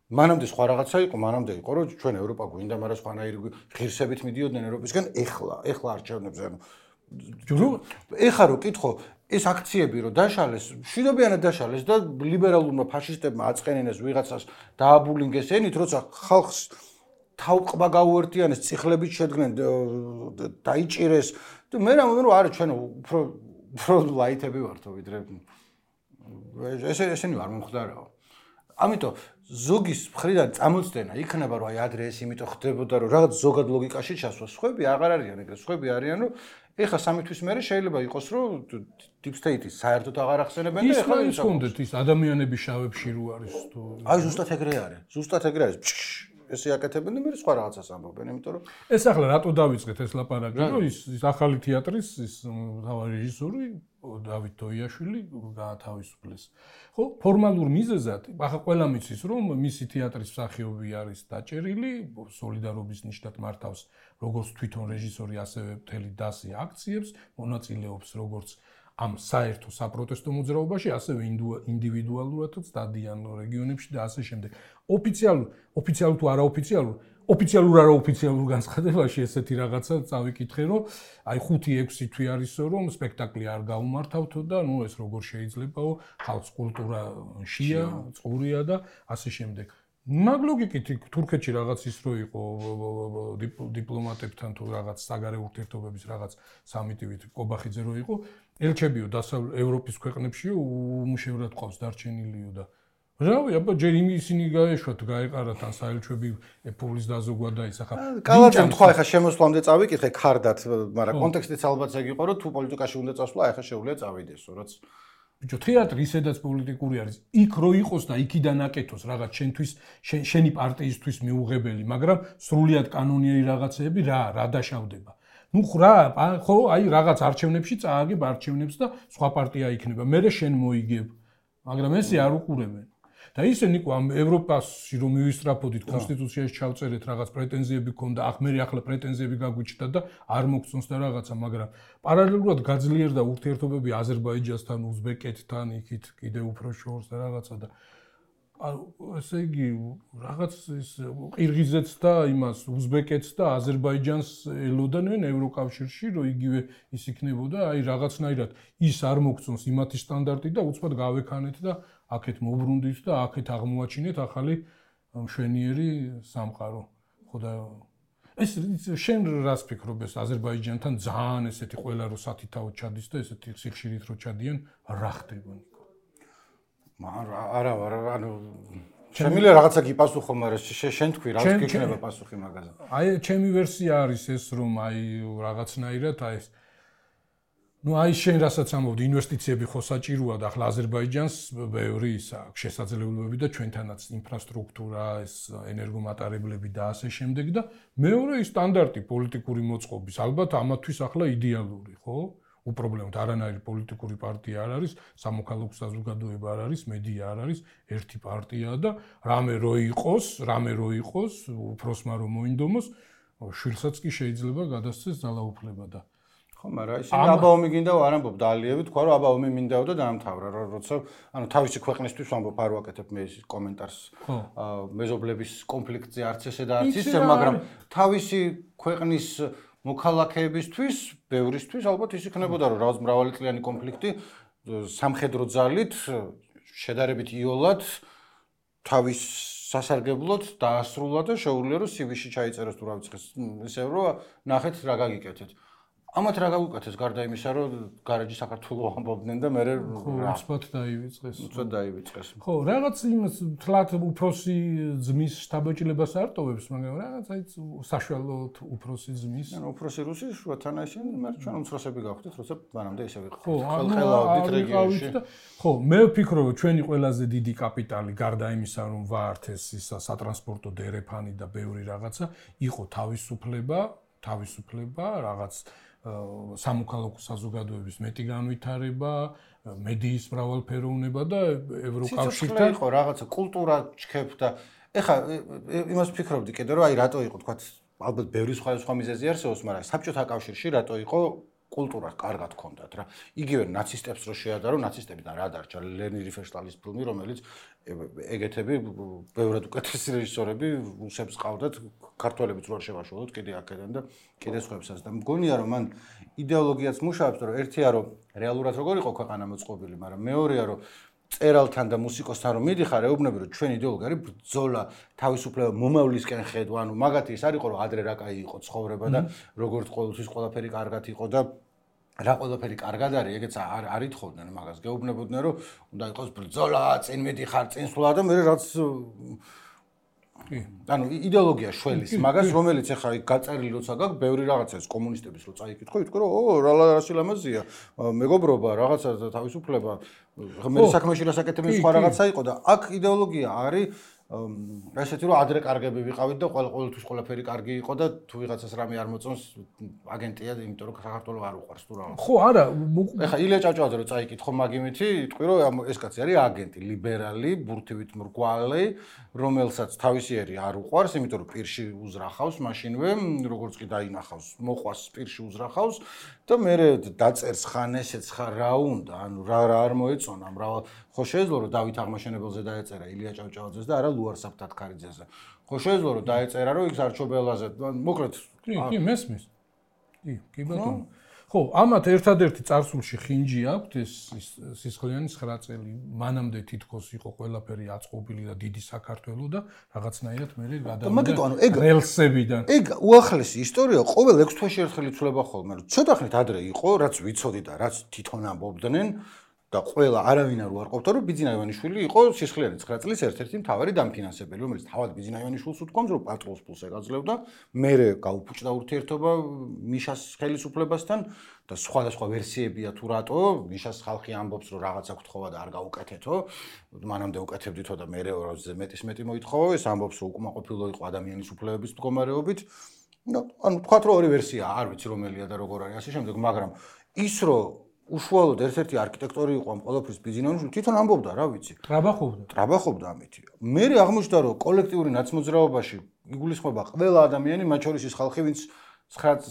A: მანამდე სხვა რაღაცა იყო, მანამდე იყო, რომ ჩვენ ევროპა გვინდა, მაგრამ სხვანაირი ღირსებით მიდიოდნენ ევროპისგან, ეხლა არჩევნებზე, ანუ ეხა რო კითხო, ეს აქციები რო დაშალეს, მშვიდობიანად დაშალეს და ლიბერალურმა ფაშისტებმა აწყენინეს ვიღაცას დააბულინგეს ენით, როცა ხალხს თავყბა გაუერთიანეს, წიხლებით შედგნენ, დაიჭირეს და მე რამოდენ რომ არა ჩვენ უფრო ლაითები ვართო ვიდრე ესენი არ მომხდარაო. ამიტომ ზოგის მხრიდან წამოწდენა იქნება, რომ აი ადრე ეს იმიტომ ხდებოდა, რომ რაღაც ზოგად ლოგიკაში ჩასვა. სხვები აღარ არიან ეგრე, სხვები არიან, რომ ეხა 3 თვის მერე შეიძლება იყოს, რომ deep state-ის საერთოდ აღარ ახსენებენ და ეხლა
B: ის კონდეთ ის ადამიანების შავებში რო არის თუ
A: აი ზუსტად ეგრე არის. ზუსტად ეგრე არის. ესე აკეთებენ და მე სხვა რაღაცას ამბობენ, იმიტომ რომ
B: ეს ახლა რატო დავიწყეთ ეს ლაპარაკი, რომ ის ახალი თეატრის ის თავარი რეჟისორი დავით დოიაშვილი გაათავისუფლეს. ხო, ფორმალურ მიზეზად, ახლა ყველა მიცის, რომ მისი თეატრის მსახიობი არის დაჭერილი, სოლიდარობის ნიშნად მართავს როგორც თვითონ რეჟისორი, ასევე მთელი დასი აქციებს, მონაწილეობს როგორც ამ საერთო საპროტესტო მოძრაობაში, ასევე ინდივიდუალურადაც დადიან რეგიონებში და ასე შემდეგ. ოფიციალურ თუ არაოფიციალურ, ოფიციალურ განცხადებაში ესეთი რაღაცა წავიკითხე, რომ აი 5-6 თვე არისო, რომ სპექტაკლი არ გაუმართავთო და ნუ ეს როგორ შეიძლებაო, ხალხს კულტურა შია, წყურია და ასე შემდეგ. მაგ ლოგიკით თურქეთში რაღაც ის რო იყო დიპლომატებთან თუ რაღაც საგარეო ურთიერთობების რაღაც სამიტივით კობახიძე რო იყო, ელჩებიო დასავლეთ ევროპის ქვეყნებშიო უმუშევრად ყავს დარჩენილიო და რავი, აბა ჯერ ისინი გაეშვათ, გაეყარათ ან საელჩები ეფულის დაზოგვა და ის ახლა
A: კალაძემ თქვა ახლა შემოსვლამდე წავიკითხე ქარდათ, მაგრამ კონტექსტიც ალბათ ეგ იყო, რომ თუ პოლიტიკაში უნდა წასვლა, ახლა შეუძლია წავიდესო, რაც
B: ბიჭო, თეატრი ისედაც პოლიტიკური არის. იქ რო იყოს და იქიდან აკეთოს რაღაც შენი პარტიისთვის მიუღებელი, მაგრამ სრულიად კანონიერი რაღაცეები რა დაშავდება. ნუ ხო, აი რაღაც არჩევნებში წააგებ არჩევნებს და სხვა პარტია იქნება. მერე შენ მოიგებ. მაგრამ ესე არ უყურებენ. და ისე ნიკო ამ ევროპაში რომ მივისწრაფოდით კონსტიტუციაში ჩავწერეთ რაღაც პრეტენზიები ქონდა, ახლა პრეტენზიები გაგვიჩნდა და არ მოგწონს და რაღაცა, მაგრამ პარალელურად გაძლიერდა ურთიერთობები აზერბაიჯანსთან, უზბეკეთთან, იქით კიდევ უფრო შორს და რაღაცა და ესე იგი რაღაც ის ყირგიზეთს და იმას უზბეკეთს და აზერბაიჯანს ელოდანენ ევროკავშირში, რომ იგივე ის იქნებოდა, აი რაღაცნაირად ის არ მოგწონს იმათი სტანდარტი და უცბად გავექანეთ და აქეთ მოbrunდით და აქეთ აღმოაჩინეთ ახალი მშვენიერი სამყარო. ხო და ეს შენ რას ფიქრობ ეს აზერბაიჯანთან ძალიან ესეთი ყველა რო სათითაოდ ჩადის და ესეთი სიხშირით რო ჩადიან, რა ხდება?
A: არა, ანუ შემიძლია რაღაცა გიპასუხო, მაგრამ შენ თქვი რა გიქნება პასუხი მაგაზე.
B: აი ჩემი ვერსია არის ეს, რომ აი რაღაცნაირად აი ეს აი შენ რასაც ამბობდი, ინვესტიციები ხო საჭიროა და ახლა აზერბაიჯანს ბევრი ის აქვს შესაძლებლობები და ჩვენთანაც ინფრასტრუქტურა, ეს ენერგომატარებლები და ასე შემდეგ და მეორე ის სტანდარტი პოლიტიკური მოწყობის, ალბათ ამათვის ახლა იდეალური, ხო? უპრობლემოდ არანაირი პოლიტიკური პარტია არ არის, სამოქალაქო საზოგადოება არ არის, მედია არ არის, ერთი პარტიაა და რამე რო იყოს, უფროსმა რომ მოინდომოს, შვილსაც კი შეიძლება გადასცეს ძალაუფლება და
A: ხო, მაგრამ ისინი აბაომი გინდაო არ ამბობ დაალიევი, თქვა რომ აბაომი მინდაო და დაამთავრა, როცა ანუ თავისი ქვეყნისთვის ამბობ არ ვაკეთებ მე ის კომენტარს მეზობლების კონფლიქტზე არც ესე და არც ისე, მაგრამ თავისი ქვეყნის მოქალაქეებისთვის, ბევრისთვის ალბათ ის იქნებოდა რომ რაღაც მრავალწლიანი კონფლიქტი სამხედრო ძალით შედარებით იოლად თავის სასარგებლოდ დაასრულა და შეუძლია რომ CV-ში ჩაიწეროს თუ რა ვიცი ისე რომ ნახეთ რა გაგიკეთეთ. ამათ რა გავუკეთეს გარდა იმისა, რომ გარეჯი საქართველოს ამბობდნენ და მე
B: უცბად
A: დაივიწყეს.
B: ხო, რაღაც იმას თლათ უფროსი ძმის შთაბეჭდილებას არ ტოვებს, მაგრამ რაღაც აი საშუალოდ უფროსი ძმის.
A: ანუ უფროსი რუსი შუათანა ისინი, მაგრამ ჩვენ უმცროსები გავხდით, როცა მანამდე ისე ვიყავით.
B: ხო, ხელხელავდით რეგიონში. ხო, მე ვფიქრობ, რომ ჩვენი ყველაზე დიდი კაპიტალი გარდა იმისა, რომ ვართ ეს სატრანსპორტო დერეფანი და ბევრი რაღაცა, იყო თავისუფლება, რაღაც სამოქალაქო საზოგადოების მეტი განვითარება, მედიის მრავალფეროვნება და ევროკავშირთან
A: იყო რაღაცა კულტურა ჩქეფ და ეხა იმას ვფიქრობდი კიდე რომ აი რატო იყო თქვა ალბათ ბევრი სხვა მიზეზი არსებობს, მაგრამ საბჭოთა კავშირში რატო იყო კულტურა კარგად ჰქონდათ რა. იგივე ნაცისტებს რო შეადარო, ნაცისტებიდან რა დარჩა ლენი რიფენშტალის ფილმი, რომელიც ეგეთები ბევრად უკეთესი რეჟისორები რუსებს ყავდათ, ქართველებიც რო არ შევაშალოთ კიდე აქედან და კიდე სხვებსაც და მგონია რომ მან იდეოლოგიაც მუშაობს, რომ ერთია რომ რეალურად როგორ იყო ქვეყანა მოწყობილი, მაგრამ მეორეა რომ წერალთან და მუსიკოსთან რომ მიდიხარ, ეუბნები რომ ჩვენ იდეოლოგია არის ბრძოლა, თავისუფლება მომავლისკენ ხედვა, ანუ მაგათი ის არ იყო რომ ადრე რა კაი იყო ცხოვრება და როგორც ყოველთვის ყველაფერი კარგად იყო და რა ყველაფერი კარგად არის, ეგეც არ ითხოვდნენ მაგას, გეუბნებოდნენ რომ უნდა იყოს ბრძოლა, წინ მიდიხარ, წინ სვლა და მე რაც ანუ იდეოლოგია შველის მაგას, რომელიც ახლა გაწერილი როცა გაქვს, ბევრი რაღაცას კომუნისტების რო წაიკითხო, ითქო რომ რა სილამაზია, მეგობრობა, რაღაცა თავისუფლება, მე საქმეში რასაკეთებენ სხვა რაღაცა იყო და აქ იდეოლოგია არის ესეთი რომ ადრე კარგები ვიყავით და ყოველთვის ყველაფერი კარგი იყო და თუ ვიღაცას რამე არ მოწონს აგენტია, იმიტომ რომ საქართველოს არ უყვარს თუ რა.
B: ხო, არა,
A: ეხა ილია ჭავჭავაძე რო წაიკითხო მაგიმითი, იტყვი რომ ეს კაცი არის აგენტი, ლიბერალი, ბურთივით მრგვალი, რომელსაც თავისიერი არ უყვარს, იმიტომ რომ პირში უზრახავს მაშინვე, როგორც კი დაინახავს, მოყვას პირში უზრახავს და მე დაწერს ხან ესეც ხან რა უნდა, ანუ რა არ მოეწონა, მრავალ ხო შეეძლო რომ დავით აღმაშენებელზე დაეწერა ილია ჭავჭავაძეს და არა ლუარ საფთათქარიძეზე. ხო შეეძლო რომ დაეწერა რომ იქ სარჩობელაზე, მოკლედ
B: კი, მესმის. კი ბატონო. ხო, ამათ ერთადერთი წარსულში ხინჯი აქვთ ეს სისხლიანი 9 წელი. მანამდე თითქოს იყო ყველაფერი აწყობილი და დიდი საქართველო და რაღაცნაირად მე გადავიდა რელსებიდან.
A: ეგ უახლესი ისტორია ყოველ 6 თვეში ერთხელ იცვლება ხოლმე. ცოტა ხნით ადრე იყო, რაც ვიცოდი და რაც თვითონ ამბობდნენ და ყველა არავინ არ უარყოფდა რომ ბიძინა ივანიშვილი იყო სისხლიანი 9 წლის ერთ-ერთი მთავარი დამფინანსებელი, რომელიც თავად ბიძინა ივანიშვილს უთქვამს რომ პატრონის ფულს ეკაძლევდა, მერე გაუფუჭდა ურთიერთობა მიშას ხელისუფლებასთან და სხვადასხვა ვერსიებია თუ რატო მიშას ხალხი ამბობს რომ რაღაცა გთხოვა და არ გაუკეთეთო, მანამდე უკეთებდითო და მერე მეტი მოითხოვა, ეს ამბობს რომ უკმაყოფილო იყო ადამიანის უფლებების მდგომარეობით. ანუ თქვათ რომ ორი ვერსია, არ ვიცი რომელია და როგორ არის ასე შემდეგ, მაგრამ ის რომ უშუალოდ ერთ-ერთი არქიტექტორი იყო ამ ყველაფრის ბიზნესში, თვითონ ამბობდა, რა ვიცი. ტრაბახობდა ამითი. მე აღმოჩნდა, რომ კოლექტიური ნაცმოძრაობაში იგულისხმება ყველა ადამიანი, მათ შორის ის ხალხი, ვინც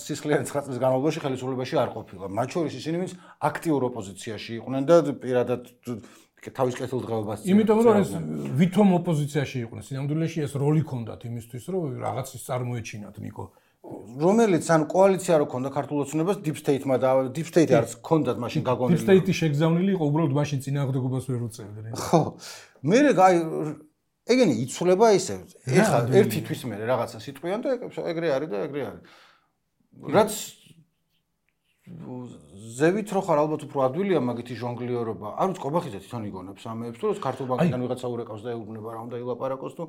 A: სისხლიანი 9 წლის განმავლობაში ხელისუფლებაში არ ყოფილა. მათ შორის ისინი, ვინც აქტიურ ოპოზიციაში იყვნენ და პირადად თავის კეთილდღეობას
B: იმიტომ რომ ეს ვითომ ოპოზიციაში იყვნენ, სინამდვილეში ეს როლი ჰქონდათ იმისთვის, რომ რაღაცის წარმოეჩინათ ნიკო.
A: რომელიც ან კოალიცია რო ქონდა ქართულ ოცნებას deep state-მა და deep state არც ქონდათ მაშინ გაგონილი.
B: deep state-ი შეგზავნილი იყო, უბრალოდ მაშინ წინააღმდეგობას ვერ უწევდნენ.
A: ხო. მე ეგენი იცვლება ისე. ეხლა ერთი თვის მე რაღაცა სიტყვიან და ეგრე არის და ეგრე არის. რაც ზევით რო ხარ ალბათ უფრო ადვილია მაგითი ჟონგლიორობა. არ ვიცი, ყობახიძე თვითონ იგონებს ამეებს, თუ ქართულ ბანკიდან ვიღაცა ურეკავს და ეუბნება რა უნდა ილაპარაკოს თუ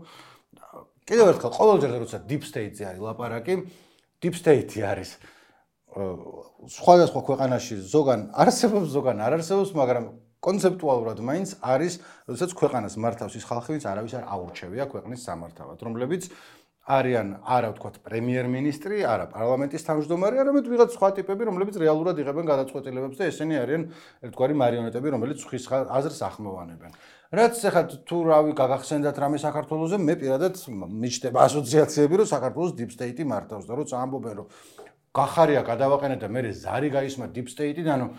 A: კიდევ ერთხელ ყოველჯერ როცა deep state-ზე არის ლაპარაკი, deep state-ი არის სხვადასხვა ქვეყანაში ზოგან არსებობს, ზოგან არ არსებობს, მაგრამ კონცეპტუალურად მაინც არის, როდესაც ქვეყანას მართავს ის ხალხი, ვინც არავის არ აურჩევია ქვეყნის სამართავად, რომლებიც არიან არა ვთქვათ პრემიერ-მინისტრი, არა პარლამენტის თავმჯდომარე, არამედ ვიღაც სხვა ტიპები, რომლებიც რეალურად იღებენ გადაწყვეტილებებს და ესენი არიან ერთგვარი მარიონეტები, რომელიც ხის აზრს ახმოვანებენ. რაც ახლა თუ რავი გაგახსენდათ რამე საქართველოზე, მე პირადად მიჩნდება ასოციაციები, რომ საქართველოს deep state-ი მართავს და როცა ამბობენ, რომ გახარია გადავაყენეთ და მე ზარი გაისმა deep state-დან,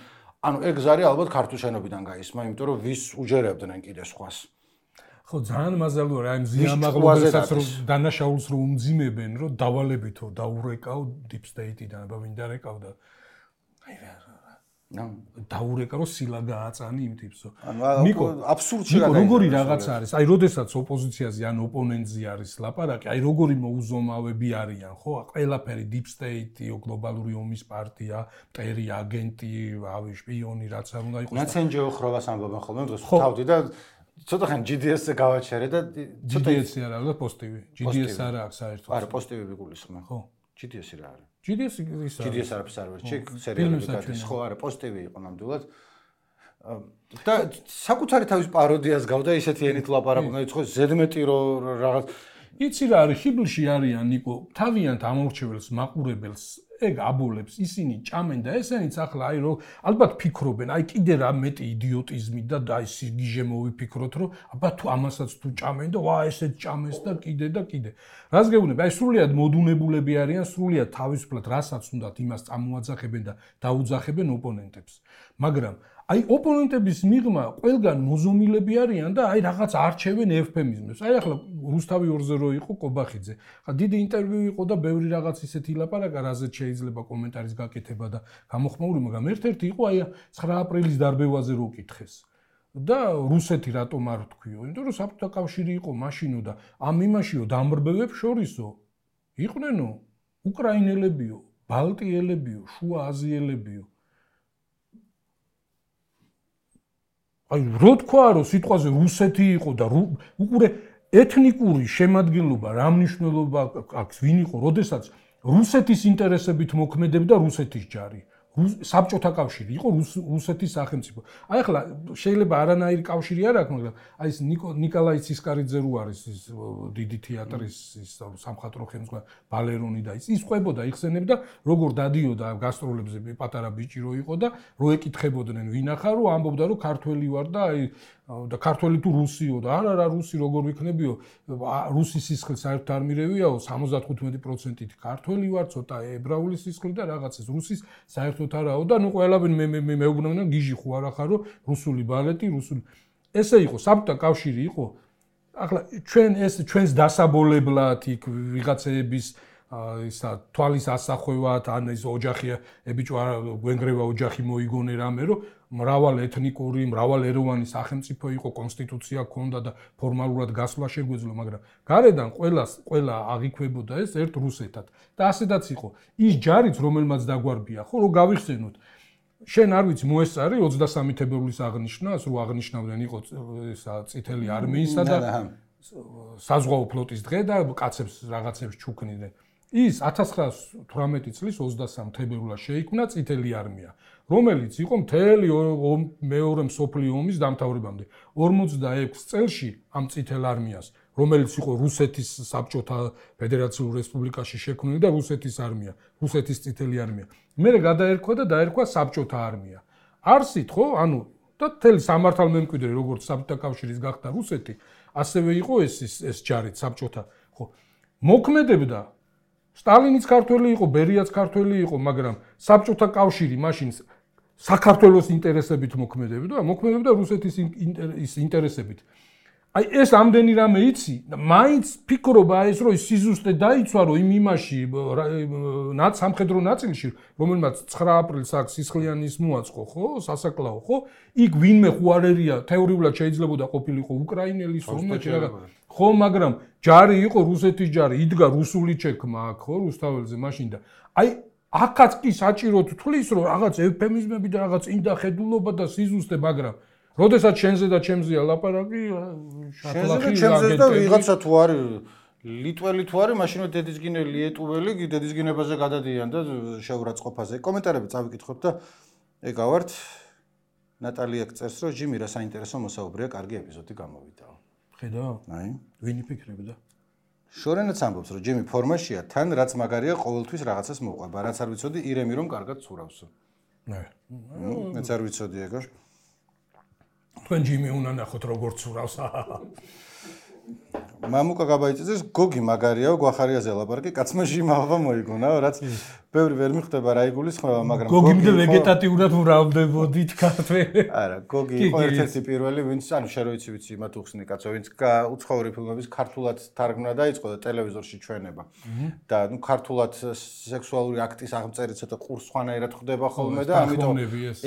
A: ანუ ეგ ზარი ალბათ ქართულ შენობიდან გაისმა, იმიტომ რომ ვის უჯერებდნენ კიდე სხვას.
B: ხო, ძალიან მაზალია რა იმ ზიამაღლობასაც რომ დანაშაულს რომ უმძიმებენ, რომ დავალებითო დაურეკავ deep state-დან, აბა ვინ დარეკავდა. აი რა. დაურეკა რომ სილა გააწანი იმ ტიპსო.
A: ნიკო, აბსურდში გადაიჭრა.
B: როგორი რაღაც არის? აი, როდესაც ოპოზიციაზე ან ოპონენტზე არის ლაპარაკი, აი როგორი მოუზომავები არიან, ხო? ყველაფერი deep state-ი, გლობალური ომის პარტია, მტერი აგენტი, რავი, შპიონი, რაც არ უნდა იყოს.
A: ნაცენჯო ხრობას ამბობენ ხოლმე დღეს თავდი და ცოტა ხან GDS-ზე გავაჩერე და
B: GDS-ი არა, და პოსტივი. GDS არა აქვს საერთოდ.
A: არა, პოსტივი ვიგულისხმე.
B: ხო.
A: GDS-ი რა არის?
B: GDS
A: არის სერვერში, სერიალები გადის, ხო, არა, პოსტივი იყო ნამდვილად. და საკუთარი თავის პაროდიას გავდა ისეთი ენით ლაპარაკობდნენ, ხო, ზედმეტი რომ რაღაც
B: იცი რა არის, ხიბლში არიან ნიკო, თავიანთ ამორჩეველს, მაყურებელს ეგ აბოლებს, ისინი ჭამენ და ესენიც ახლა აი რომ ალბათ ფიქრობენ, აი კიდე რა მეტი იდიოტიზმი და აი სიგიჟე მოვიფიქროთ, რომ აბა თუ ამასაც თუ ჭამენ და ვა ესეც ჭამეს და კიდე და კიდე. რას გეუბნები? აი სრულიად მოდუნებულები არიან, სრულიად თავისუფლად რასაც უნდათ იმას წამოაძახებენ და დაუძახებენ ოპონენტებს. მაგრამ აი ოპონენტების მიღმა ყველგან მოზომილები არიან და აი რაღაც არჩევენ ევფემიზმებს. აი ახლა რუსთავი 2-0 იყო ყობახიძე. ხა დიდი ინტერვიუ იყო და ბევრი რაღაც ისეთი ლაპარაკა, რაზეც შეიძლება კომენტარის გაკეთება და გამოხმაური, მაგრამ ერთ-ერთი იყო აი 9 აპრილის დარბევაზე რო კითხეს. და რუსეთი რატომ არ თქვიო? იმიტომ რომ საბჭოთა კავშირი იყო მაშინო და ამ იმაშიო დამრბევებს შორისო იყვნენო უკრაინელებიო, ბალტიელებიო, შუა აზიელებიო. აი რო თქვა რომ სიტყვაზე რუსეთი იყო და უყურე ეთნიკური შემადგენლობა რა მნიშვნელობა აქვს ვინ იყო როდესაც რუსეთის ინტერესებით მოქმედებდა რუსეთის ჯარი საბჭოთა კავშირი იყო რუსეთის სახელმწიფო აი ახლა შეიძლება არანაირი კავშირი არ აქვს მაგრამ აი ეს ნიკოლაი ცისკარიძე რო არის ის დიდი თეატრის ის სამხატვრო ხელმძღვანელი ბალერონი და ის ყვებოდა იხსენებდა როგორ დადიოდა გასტროლებზე პატარა ბიჭი რო იყო და რო ეკითხებოდნენ ვინ ახარ რო ამბობდა რომ ქართველი ვარ და აი და ქართველი თუ რუსიო და არა რუსი როგორ ვიქნებიო რუსის სისხლი საერთოდ არ მირევიაო 75%-ით ქართველი ვარ ცოტა ებრაული სისხლი და რაღაცას რუსის საერთოდ არაო და ნუ ყველაფერი მე მეუბნებოდნენ გიჟი ხო არ ახარო რუსული ბალეტი რუსული ესე იყო საბჭოთა კავშირი იყო ახლა ჩვენს დასაბოლებლად იქ ვიღაცების ისა თვალის ასახვევად ან ის ოჯახია ებიჭო გვენგრევა ოჯახი მოიგონე რამე რომ მრავალ ეთნიკური, მრავალეროვანი სახელმწიფო იყო, კონსტიტუცია ჰქონდა და ფორმალურად გასვლა შეგვეძლო, მაგრამ გარედან ყველა აღიქვებოდა ეს ერთ რუსეთად. და ასედაც იყო. ის ჯარიც რომელმაც დაგვარბია, ხო, რომ გავიხსენოთ. შენ არ ვიცი მოესწარი 23 თებერვლის აღნიშვნას, რო აღნიშნავდნენ იყო ესა წითელი არმიისა და საზღვაო ფლოტის დღე და კაცებს რაღაცებს ჩუქნიდნენ. ის 1918 წლის 23 თებერვლას შეიქმნა წითელი არმია, რომელიც იყო მთელი მეორე მსოფლიო ომის დამთავრებამდე. 46 წელში ამ წითელ არმიას, რომელიც იყო რუსეთის საბჭოთა ფედერაციულ რესპუბლიკაში შექმნილი და რუსეთის არმია, რუსეთის წითელი არმია. მერე გადაერქვა და დაერქვა საბჭოთა არმია. არსით ხო, ანუ და მთელი სამართალმემკვიდრე როგორც საბჭოთა კავშირის გახდა რუსეთი, ასევე იყო ეს ჯარით საბჭოთა, ხო. მოქმედებდა სტალინიც ქართველი იყო, ბერიაც ქართველი იყო, მაგრამ საბჭოთა კავშირი მაშინ საქართველოს ინტერესებით მოქმედებდა რუსეთის ინტერესებით. აი ეს ამდენი რამე იცი, მაინც ფიქრობა ეს რომ სიზუსტე დაიცვა რომ იმ იმაში სამხედრო ნაწილში, რომელმაც 9 აპრილს აქ სისხლიანის მოაწყო, ხო, სასაკლაო, ხო? იქ ვინმე ხუარერია თეორიულად შეიძლება ყოფილიყო უკრაინელი, სომხეთი რაღაც. ხო, მაგრამ ჯარი იყო რუსეთის ჯარი, იდგა რუსული ჩექმა აქ, ხო, რუსთაველზე მაშინ და აი აქაც კი საჭიროდ თulis რომ რაღაც ევფემიზმები და რაღაც ინდახედულობა და სიზუსტე, მაგრამ როდესაც შენზე და ჩემზეა ლაპარაკი,
A: შენზე ჩემზე და ვიღაცა თუ არის ლიტველი თუ არის, მაშინვე დედისგინელი ეტუველი დედისგინებაზე გადადიან და შეურაცხყოფაზე. კომენტარები წავიკითხოთ და ეგავართ. ნატალია წერს, რომ ჯიმი რა საინტერესო მოსაუბრეა, კარგი ეპიზოდი გამოვიდაო.
B: ხედავ?
A: აი.
B: ვინი ფიქრებდა?
A: შორენაც ამბობს, რომ ჯიმი ფორმაშია, თან რაც მაგარია ყოველთვის რაღაცას მოყვება. რაც არ ვიცოდი, ირემი რომ კარგად ცურავსო.
B: ნე.
A: მეც არ ვიცოდი ეგა.
B: თქვენ ჯიმი უნდა ნახოთ როგორ ცურავს.
A: მამუკა გაბაიწეძეს გოგი მაგარიაო გვახარიაზე ლაპარაკი კაცმა ჟიმავა მოიგონაო რაც ბევრი ვერ მიხვდება რა იგულისხმება მაგრამ
B: გოგიმდე ვეგეტატიურად ვრავდებოდით ქართველი
A: არა გოგი იყო ერთ-ერთი პირველი ვინც ანუ შენ რო ვიცი მათ უხსნი კაცო ვინც უცხოური ფილმების ქართულად თარგმნა დაიწყო და ტელევიზორში ჩვენება და ნუ ქართულად სექსუალური აქტის აღწერით ცოტა ყურს სხვანაირად ხდება ხოლმე და ამიტომ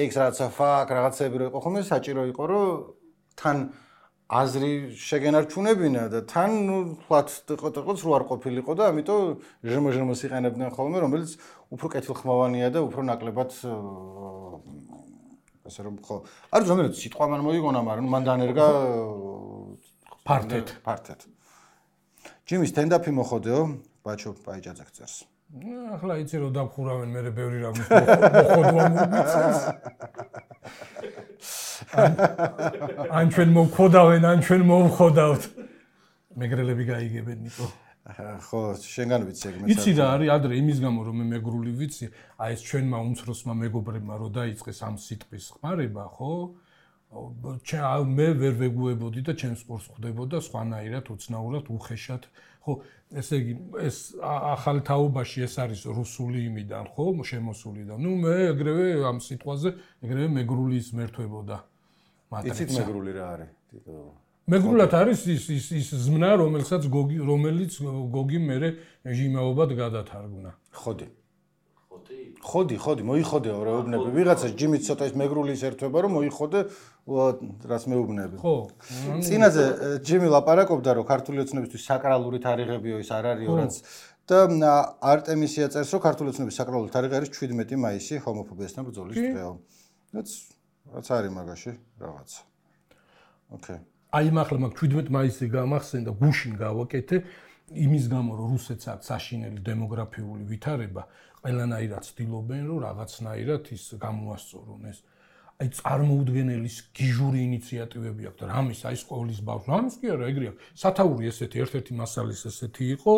A: იქ რაღაცა ფაკ რაღაცები რო იყო ხოლმე საჭირო იყო რომ თან აზრი შეგენარჩუნებინა და თან ნუ ფლათ ტყოტყოც რო არ ყოფილიყო და ამიტომ ჟმ-ჟმ-ს იყენებდნენ ხოლმე რომელიც უფრო კეთილხმოვანია და უფრო ნაკლებად ასე რომ ხო არის რომელიც სიტყვა მან მოიგონა მაგრამ მან დანერგა ფართეთ ჯიმის სტენდაპი მოხოდეო ბაჩო პაიჭაძე წერს
B: ახლა იცი რომ დაგხურავენ მე ბევრი რამის მოხოდვა მომიწევს ან ჩვენ მოვხოდავენ, ან ჩვენ მოვხოდავთ. მეგრელები გაიგებენ ნიკო.
A: ხო, შენგან ვიცი ეგ მეც.
B: იცი რა არის ადრე იმის გამო რომ მე მეგრული ვიცი, აი ეს ჩვენმა უმცროსმა მეგობრებმა რო დაიწყეს ამ სიტყვის ხმარება, ხო? მე ვერ ვეგუებოდი და ჩემს ყურს ხვდებოდა სხვანაირად, უცნაურად, უხეშად. ხო, ესე იგი ეს ახალ თაობაში ეს არის რუსული იმიდან, ხო, შემოსული და ნუ მე ეგრევე ამ სიტყვაზე ეგრევე მეგრული ისმერთვებოდა.
A: იცით მეგრული რა არის?
B: მეგრულად არის ის ზმნა, რომელიც გოგი მერე ჟიმაობად გადათარგმნა. ხოდი, მოიხოდეო რეუბნები. ვიღაცას ჯიმიც ცოტა ის მეგრული ის ერთვება, რომ მოიხოდე რაც მეუბნები. ხო.
A: წინაზე ჯიმი ლაპარაკობდა, რომ ქართული ოცნებისთვის საკრალური თარიღებიო ის არ არისო, რაც და არტემისია წერს, რომ ქართული ოცნების საკრალური თარიღი არის 17 მაისი, ჰომოფობიასთან ბრძოლის დღეო. რაც არის მაგაში რაღაცა. ოკეი.
B: აი ახლა მაგ 17 მაისი გამახსენდა, გუშინ გავაკეთე იმის გამო, რომ რუსეთს აქვს საშინელი დემოგრაფიული ვითარება, ყველანაირად ცდილობენ, რომ რაღაცნაირად ის გამოასწორონ ეს. აი წარმოუდგენელი გიჟური ინიციატივები აქვს და რამის აი სკოლის ბავშვს, რამის კი არა, ეგრე აქვს. სათაური ესეთი ერთ-ერთი მასალის ესეთი იყო,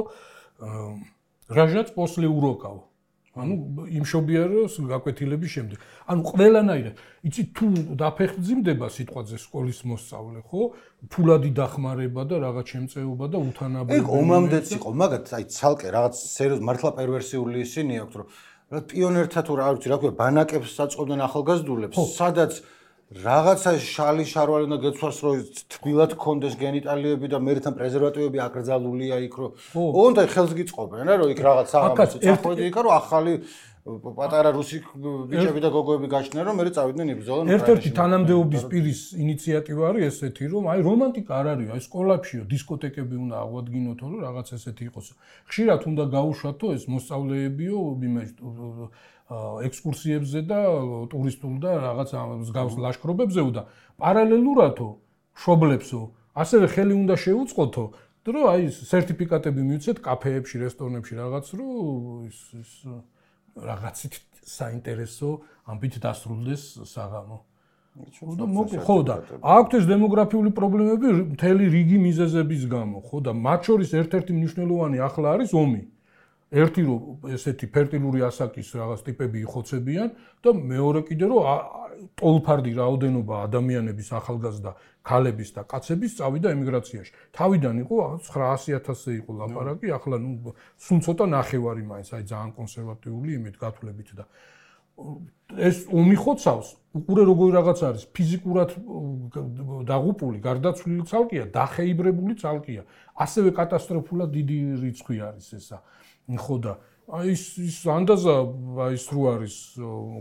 B: რაჟაც პოსლე უროკავ. ანუ იმშობიაროს გაკვეთილების შემდეგ. ანუ ყველანაირად, იცი თუ დაფეხმძიმდება სიტყვაზე სკოლის მოსწავლე, ხო? ფულადი დახმარება და რაღაც შემწეობა და უთანაბები.
A: ეგ ომამდეც იყო, მაგათ აი ცალკე რაღაც სერიოზ მართლა პერვერსიული ისინი აქვს, რომ პიონერთა თუ რა ვიცი, რა ქვია, ბანაკებს საწყობდნენ ახალგაზრდულებს, სადაც რაღაცა შალი შარვალი უნდა გეცვას, რომ თბილად კონდეს გენიტალიები და მერთან პრეზერვატივები აკრძალულია იქ, რომ ოღონდ აი ხელს გიწყობენ რა, რომ იქ რაღაც აღამოწი წახვედი იქ, რომ ახალი პატარა რუსი ბიჭები და გოგოები გაჩნდნენ, რომ მე წავიდნენ იბრძოლონ.
B: ერთ-ერთი თანამდებობის პირის ინიციატივა არის ესეთი, რომ აი რომანტიკა არ არის, აი სკოლებშიო დისკოტეკები უნდა აღვადგინოთო, რომ რაღაც ესეთი იყოს. ხშირად უნდა გაუშვათო ეს მოსწავლეებიო ექსკურსიებზე და ტურისტულ და რაღაც მსგავს ლაშქრობებზეო და პარალელურადო მშობლებსო ასევე ხელი უნდა შეუწყოთო, რომ აი სერტიფიკატები მიუცეთ კაფეებში, რესტორნებში რაღაც, რომ ის რაღაცით საინტერესო ამბით დასრულდეს საღამო. ხო და აქვთ ეს დემოგრაფიული პრობლემები მთელი რიგი მიზეზების გამო, ხო და მათ შორის ერთ-ერთი მნიშვნელოვანი ახლა არის ომი. ერთი რომ ესეთი ფერტილური ასაკის რაღაც ტიპები იხოცებიან და მეორე კიდე რომ ტოლფარდი რაოდენობა ადამიანების ახალგაზრდა ქალების და კაცების წავიდა ემიგრაციაში. თავიდან იყო 900,000-ზე იყო ლაპარაკი, ახლა ნუ სულ ცოტა ნახევარი მაინც, აი ძალიან კონსერვატიული იმით გათვლებით და ეს ომი ხოცავს, უყურე როგორი რაღაც არის, ფიზიკურად დაღუპული, გარდაცვლილი ცალკეა, დახეიბრებული ცალკეა. ასევე კატასტროფულად დიდი რიცხვი არის ესა. ხო და აი ის ანდაზა აი ის რო არის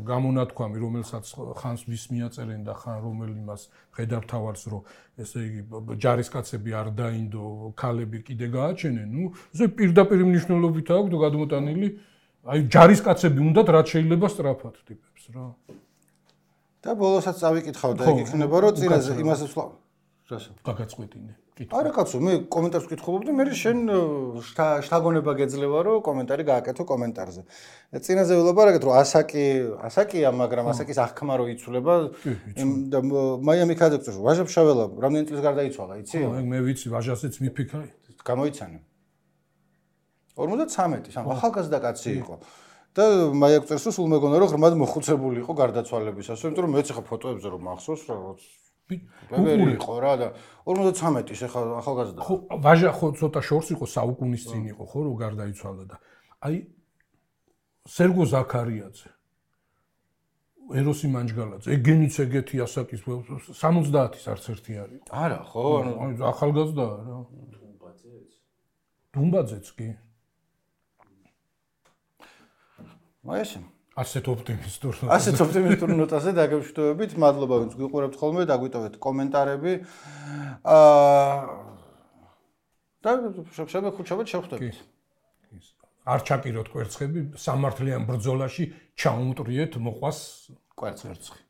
B: გამონათქვამი, რომელსაც ხანს ვის მიაწერენ და ხან რომელი მას ხედავთავარს, რომ ესე იგი ჯარისკაცები არ დაინდო, ქალები კიდე გააჩენენ, ნუ ესე პირდაპირ მნიშვნელობით აქვს გადმოტანილი აი ჯარისკაცები უნდათ რაც შეიძლება სწრაფად ტიპებს რა.
A: და ბოლოსაც წავიკითხავ და იქ იქნება რომ წინაზე იმასაც რასო?
B: გაგაწყვეტინე.
A: არა კაცო, მე კომენტარს ვკითხულობდი, მე შენ შთაგონება გეძლევა რომ კომენტარი გააკეთო კომენტარზე. წინაზე ვილაპარაკეთ რომ ასაკია, მაგრამ ასაკის აღქმა რო იცვლება და მაიამი ქადაგწევს ვაჟა-ფშაველა რამდენი წლის გარდაიცვალა, იცი?
B: მე ვიცი, ვაჟასიც მიფიქრე.
A: გამოიცანე. 53, სამ ახალგაზრდა კაცი იყო. და მაიაკწერს რომ სულ მეგონა რომ ღრმად მოხუცებული იყო გარდაცვალებისას, იმიტომ რომ მეც ახლა ფოტოებზე რომ მახსოვს რა ბებერი იყო რა და 53-ის ახლა ახალგაზრდა.
B: ხო, ვაჟა ხო ცოტა შორს იყო, საუკუნის წინ იყო ხო რომ გარდაიცვალა და აი სერგო ზაქარიაძე ეროსი მანჯგალაძე, ეგენიც ეგეთი ასაკის 70-ის არც ერთი არ იყო.
A: არა ხო,
B: ანუ ახალგაზრდაა რა. დუმბაძეც კი.
A: მაესე
B: ასეთ
A: ოპტიმისტურ ნოტაზე დაგემშვიდობებით. მადლობა ვინც გვიყურებთ ხოლმე, დაგვიტოვეთ კომენტარები. და შევხვდებით.
B: არ ჩაკიროთ კვერცხები, სამართლიან ბრძოლაში ჩაუმტრიეთ მოყვას
A: კვერცხი.